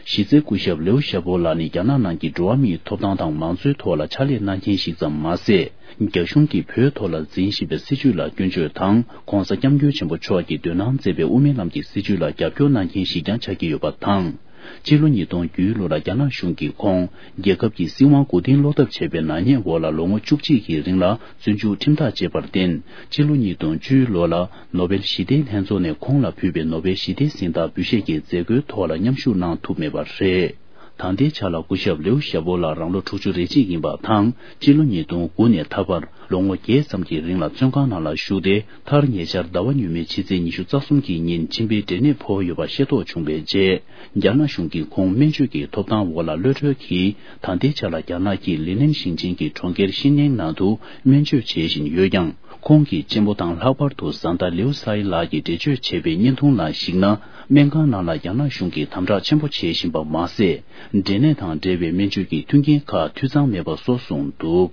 གཞི་རྩའི་སྐུ་ཞབས་ལིའུ་ཞའོ་པོ་ལགས་ནི་རྒྱ་ནག་ནང་གི་འགྲོ་བ་མིའི་ཐོབ་ཐང་དང་མང་གཙོའི་ཐོག་ལ་ཕྱག་ལས་གནང་མཁན་ཞིག་ཙམ་མ་ཟད། རྒྱ་གཞུང་གིས་བོད་ཐོག་ལ་འཛིན་བཞིན་པའི་སྲིད་བྱུས་ལ་སྐྱོན་བརྗོད་དང་། ྋགོང་ས་ྋསྐྱབས་མགོན་ཆེན་པོ་མཆོག་གིས་འདོན་གནང་མཛད་པའི་དབུ་མའི་ལམ་གྱི་སྲིད་བྱུས་ལ་རྒྱབ་སྐྱོར་གནང་མཁན་ཞིག་ཀྱང་ཆགས་ཀྱི་ཡོད་པ་དང་། སྤྱི་ལོ་ཉིས་སྟོང་བརྒྱད་ལོ་ལ་རྒྱ་ནག་གཞུང་གིས་ཁོང་རྒྱལ་ཁབ་ཀྱི་སྲིད་དབང་མགོ་རྟིང་སློག་ཐབས་བྱས་པའི་ནག་ཉེས་འོག་ལ་ལོ་ངོ་བཅུ་གཅིག་གི་རིང་ལ་བཙོན་འཇུག་ཁྲིམས་ཐག་བཅད་པར་བརྟེན། སྤྱི་ལོ་ཉིས་སྟོང་བཅུ་ལོ་ལ་ནོ་བེལ་ཞི་བདེའི་ལྷན་ཚོགས་ནས་ཁོང་ལ་ཕུལ་བའི་ནོ་བེལ་ཞི་བདེའི་གཟེངས་རྟགས་འབུལ་བཞེས་ཀྱི་མཛད་སྒོའི་ཐོག་ལ་མཉམ་ཞུགས་གནང་ཐུབ་མེད་པ་རེད། ད་ལྟའི་ཆ་ལ་སྐུ་ཞབས་ལིའུ་ཞའོ་པོ་ལགས་རང་ལོ་དྲུག་ཅུ་རེ་གཅིག་ཡིན་པ་དང་། སྤྱི་ལོ་ཉིས་སྟོང་དགུ་ནས་ད་བར་ལོ་ངོ་བརྒྱད་ཙམ་གྱི་རིང་ལ་བཙོན་ཁང་ནང་ལ་བཞུགས་ཏེ། མཐར་ཉེ་ཆར་ཟླ་བ་སྔོན་མའི་ཕྱི་ཚེས་ཉི་ཤུ་རྩ་གསུམ་གྱི་ཉིན་མཆིན་པའི་འབྲས་ནད་ཕོག་ཡོད་པ་ཤེས་རྟོགས་བྱུང་བའི་རྗེས། རྒྱ་ནག་གཞུང་གིས་ཁོང་སྨན་བཅོས་ཀྱི་ཐོབ་ཐང་འོག་ལ་གློད་གྲོལ་གྱིས། ད་ལྟའི་ཆ་ལ་རྒྱ་ནག་གི་ལི་ནན་ཞིང་ཆེན་གྱི་གྲོང་ཁྱེར་ཤི་ནན་ནང་དུ་སྨན་བཅོས་བྱེད་བཞིན་ཡོད་ཀྱང་། ཁོང་གི་གཅེན་པོ་དང་ལྷག་པར་དུ་བཟའ་ཟླ་ལིའུ་སའི་ལགས་ཀྱིས་འགྲེལ་བརྗོད་བྱས་པའི་བརྙན་ཐུང་ནང་གཞིགས་ན། སྨན་ཁང་ནང་ལ་རྒྱ་ནག་གཞུང་གིས་དམ་དྲག་ཆེན་པོ་བྱེད་བཞིན་པ་མ་ཟད། འབྲས་ནད་དང་འབྲེལ་བའི་སྨན་བཅོས་ཀྱི་མཐུན་རྐྱེན་ཁག་འཐུས་ཚང་མེད་པ་སོགས་གསུངས་འདུག།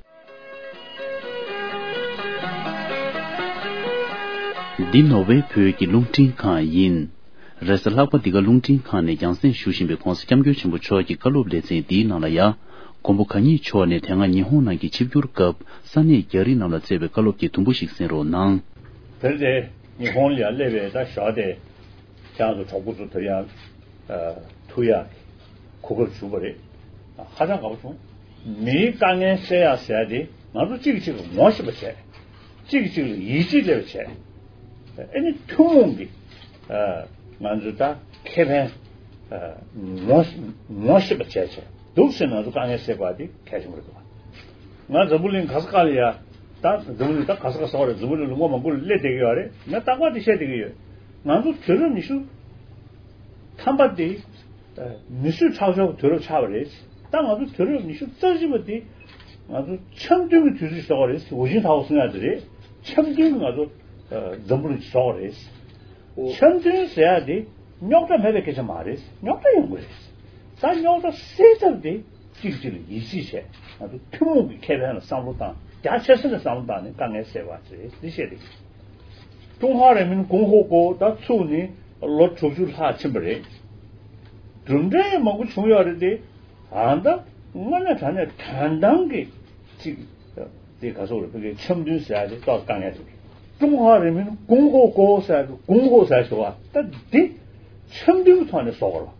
འདི་ནོར་ཝེ་བོད་ཀྱི་རླུང་འཕྲིན་ཁང་ཡིན། རེས་གཟའ་ལྷག་པ་འདི་ག་རླུང་འཕྲིན་ཁང་ནས་རྒྱང་སྲིང་ཞུ་བཞིན་པའི་༧གོང་ས་༧སྐྱབས་མགོན་ཆེན་པོ་མཆོག་གི་བཀའ་སློབ་ལེ་ཚན་འདིའི་ནང་ལ་ཡང་། མགོན་པོ་གང་ཉིད་མཆོག་ནས་དེ་སྔ་ཉི་ཧོང་ནང་གི་ཆིབས་བསྒྱུར་སྐབས་ས་གནས་རྒྱ་རིགས་རྣམས་ལ་སྩལ་བའི་བཀའ་སློབ་ཀྱི་དུམ་བུ་ཞིག་གསན་རོགས་གནང་། དེར་དེ་ཉི་ཧོང་ལ་ཡང་སླེབས་པའི་ད་ཞོགས་དེ་ཁྱེད་རང་ཚོ་གྲོགས་པོ་ཚོ་དེར་ཡང་ཐུག་ཡག་གོ་སྐབས་བྱུང་བ་རེད། ཧ་ཅང་དགའ་པོ་བྱུང་། མིའི་དཀའ་ངལ་སེལ་ཡག་ཟེར་ཡག་དེ་ང་ཚོ་གཅིག་གིས་གཅིག་ལ་ངོ་ཤེས་པ་བྱས། གཅིག་གིས་གཅིག་ལ་ཡིད་ཆེས་སླེབས་པ་བྱས། ཨ་ནི་ཐུན་མོང་གི་ང་ཚོའི་ད་ཁེ་ཕན་ངོ་ངོ་ཤེས་པ་བྱས་བྱས་འདུག་ཟེར་ན་ང་ཚོ་དཀའ་ངལ་སེལ་དགོས་པ་དེ་གལ་ཆེན་པོ་རེད་འདུག་ང་འཛམ་བུ་གླིང་ག་ས་ག་ལ་ཡ། ད་འཛམ་བུ་གླིང་ད་ག་ས་ག་ས་བ་རེད། འཛམ་བུ་གླིང་ལོ་ངོ་མང་པོ་ལ་སླེབས་བསྡད་ཀྱི་ཡོད་རེད། ང་རྟག་པར་དེ་བཤད་བསྡད་ཀྱི་ཡོད། ང་ཚོ་དུས་རབས་ཉི་ཤུ་ཐམ་པ་དེ་མི་གསོད་ཁྲག་སྦྱོར་གྱི་དུས་རབས་ཆགས་པ་རེད། ད་ང་ཚོ་དུས་རབས་ཉི་ཤུ་རྩ་གཅིག་པ་དེ་ང་ཚོ་འཆམ་མཐུན་གྱི་དུས་ཚོད་ཞིག་བཟོ་བ་རེད། ཝུ་ཅིན་ཐའོ་གསུང་ཡག་དེ་རེད། འཆམ་མཐུན་གྱི་ང་ཚོ་འཛམ་བུ་གླིང་ཞིག་བཟོ་བ་རེད། འཆམ་མཐུན་ཟེར་ཡག་དེ་རྙོག་དྲ་མེད་པའི་སྐད་ཆ་མ་རེད། རྙོག་དྲ་ཡོང་གི་རེད། ད་རྙོག་དྲ་སེལ་ཐབས་དེ་གཅིག་གཅིག་ལ་ཡིད་ཆེས་བྱས། ང་ཚོ་ཐུན་མོང་གི་ཁེ་ཕན་ལ་བསམ་བློ་བཏང་། རྒྱ་ཆེ་ས་ནས་བསམ་བློ་བཏང་ནས་དཀའ་ངལ་སེལ་བ་རེད། འདི་བཤད་དེ། ཀྲུང་ཧྭ་རིང་མིན་གོང་འོག་གོ་ད་ཚུགས་ནས་ལོ་དྲུག་ཅུ་ལྷག་ཕྱིན་པ་རེད། གྲུབ་འབྲས་མང་པོ་བྱུང་ཡོད་རེད་དེ། ཨ་ད་དངོས་གནས་དྲང་གནས་དོན་དམ་གྱི་གཅིག་དེ་ག་ཚོད་རེད། ཕ་གིའི་འཆམ་མཐུན་ཟེར་ཡ་དེ་ཏོག་དཀའ་ངལ་འདུག་ཀྲུང་ཧྭ་རིང་མིན་གོང་འོག་གོ་ཟེར་ཡ་དེ་གོང་འོག་ཟེར་ཡ་ཞིག་བ་ད་འདི་འཆམ་མཐུན་གྱི་ཐོག་ནས་བཟོ་དགོས་རེད།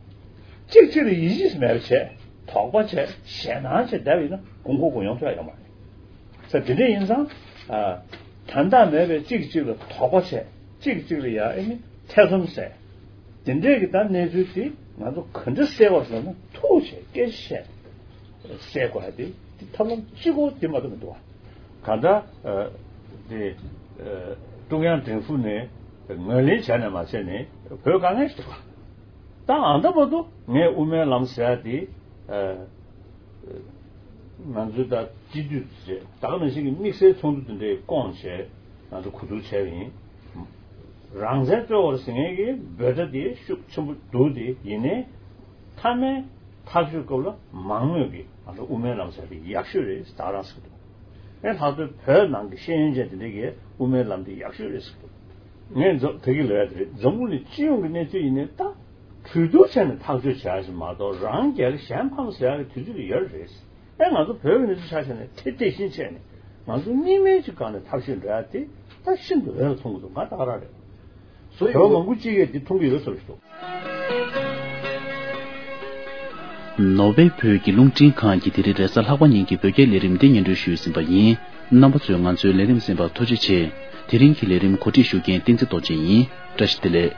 གཅིག་གཅིག་ལ་ཡིད་ཆེས་མེད་པ་བྱས། དོགས་པ་བྱས། ཞེད་སྣང་བྱས་བསྡད་པ་ཡིན་ན་གོང་འོག་གོ་ཡོང་ཐུབ་ཡ་ཡོད་མ་རེད། ས་དེ་འདྲ་ཡིན་ཙང་། ཨ། དོན་དག་མེད་པའི་གཅིག་གཅིག་ལ་དོགས་པ་བྱས། གཅིག་གཅིག་ལ་ཡ་ཨེ་ནི་ཐེ་ཚོམ་ཟ། དེ་འདྲས་ཀྱི་ད་གནས་ཚུལ་དེ་ང་ཚོ་ག་འདྲ་སེལ་བར་ཟེར་ན་ཐུགས་བྱས་སྐད་ཆ་བཤད། སེལ་དགོས་ཡ་དེ་དེ་ཐབས་ལམ་གཅིག་པོ་དེ་མ་གཏོགས་མི་འདུག་བ། གང་ལྟར། ཨ། དེ། ཨ། ཀྲུང་དབྱང་ཀྲུང་ཧྥུ་ནས་ངོས་ལེན་བྱས་ནས་མ་བྱས་ནས་བོད་དཀའ་ངལ་ཞིག་འདུག་བ། ད་ཨ་ད་བར་དུ་ངས་དབུ་མའི་ལམ་ཟེར་ཡ་དེ། ཨ། ང་ཚོའི་ད་སྤྱི་འཐུས་ཚོ་ད་ག་ནང་བཞིན་གྱི་དམིགས་བསལ་ཚོགས་འདུ་དེ་འདྲའི་བསྐོངས་བྱས་ང་ཚོ་གོ་བསྡུར་བྱས་པ་ཡིན། རང་བཙན་རྩོད་དགོས་རེད་ཟེར་མཁན་གྱི་འབོད་སྒྲ་དེ་ཤུགས་ཆེན་པོ་འདུག་དེ་ཡིན་ནའི་མཐའ་མའི་ཐག་གཅོད་སྐབས་ལ་མང་མོས་ཀྱིས་ང་ཚོ་དབུ་མའི་ལམ་ཟེར་དེ་ཡག་ཤོས་རེད་ཟེར་ད་རང་ཟེར་གི་འདུག་ཨེ་ལྷག་དོན་བོད་ནང་གི་ཤེས་ཡོན་ཅན་དེ་འདྲས་ཀྱིས་དབུ་མའི་ལམ་དེ་ཡག་ཤོས་རེད་ཟེར་གི་འདུག་ངས་ད་གིན་ལབ་ཡ་དེ་རེད། འཛམ་བུ་གླིང་སྤྱི་ཡོངས་ཀྱི་གནས་ཚུལ་ཡིན་ནའི་ད། གྲོས་བསྡུར་བྱས་ནས་ཐག་གཅོད་བྱ་ཞིག་མ་གཏོགས་རང་རྒྱལ་གཞན་ཕམ་ཟེར་ཡག་གི་དུས་ཚོད་ཡོད་རེད། ཨེ་ང་ཚོ་བོད་ཀྱི་གནས་ཚུལ་ཆ་བཞག་ནས་དེ་དེ་བཞིན་བྱས་ནས་ང་ཚོ་གཉིས་སྨན་གྱི་སྒང་ནས་ཐབས་ཤེས་འགྲོ་ཡ་དེ་ད་ཤིན་ཏུ་འོས་ལ་མཐོང་གི་འདུག་ང་ད་ག་རང་རེད། བོད་མང་པོ་གཅིག་གིས་དེ་མཐོང་གི་ཡོད་བསམ་ཞིག་འདུག་ནོར་ཝེ་བོད་ཀྱི་རླུང་འཕྲིན་ཁང་གི་དེ་རིང་རེས་གཟའ་ལྷག་པ་ཉིན་གྱི་བོད་སྐད་ལས་རིམ་འདི་སྙན་སྒྲོན་ཞུས་ཟིན་པ་ཡིན། རྣམ་པ་ཚོས་ང་ཚོའི་ལས་རིམ་གསན་པར་ཐུགས་རྗེ་ཆེ། དེ་རིང་གི་ལས་རིམ་གོ་སྒྲིག་ཞུ་མཁན་བསྟན་འཛིན་རྡོ་རྗེ་ཡིན། བཀྲ་ཤིས་བདེ་ལེགས།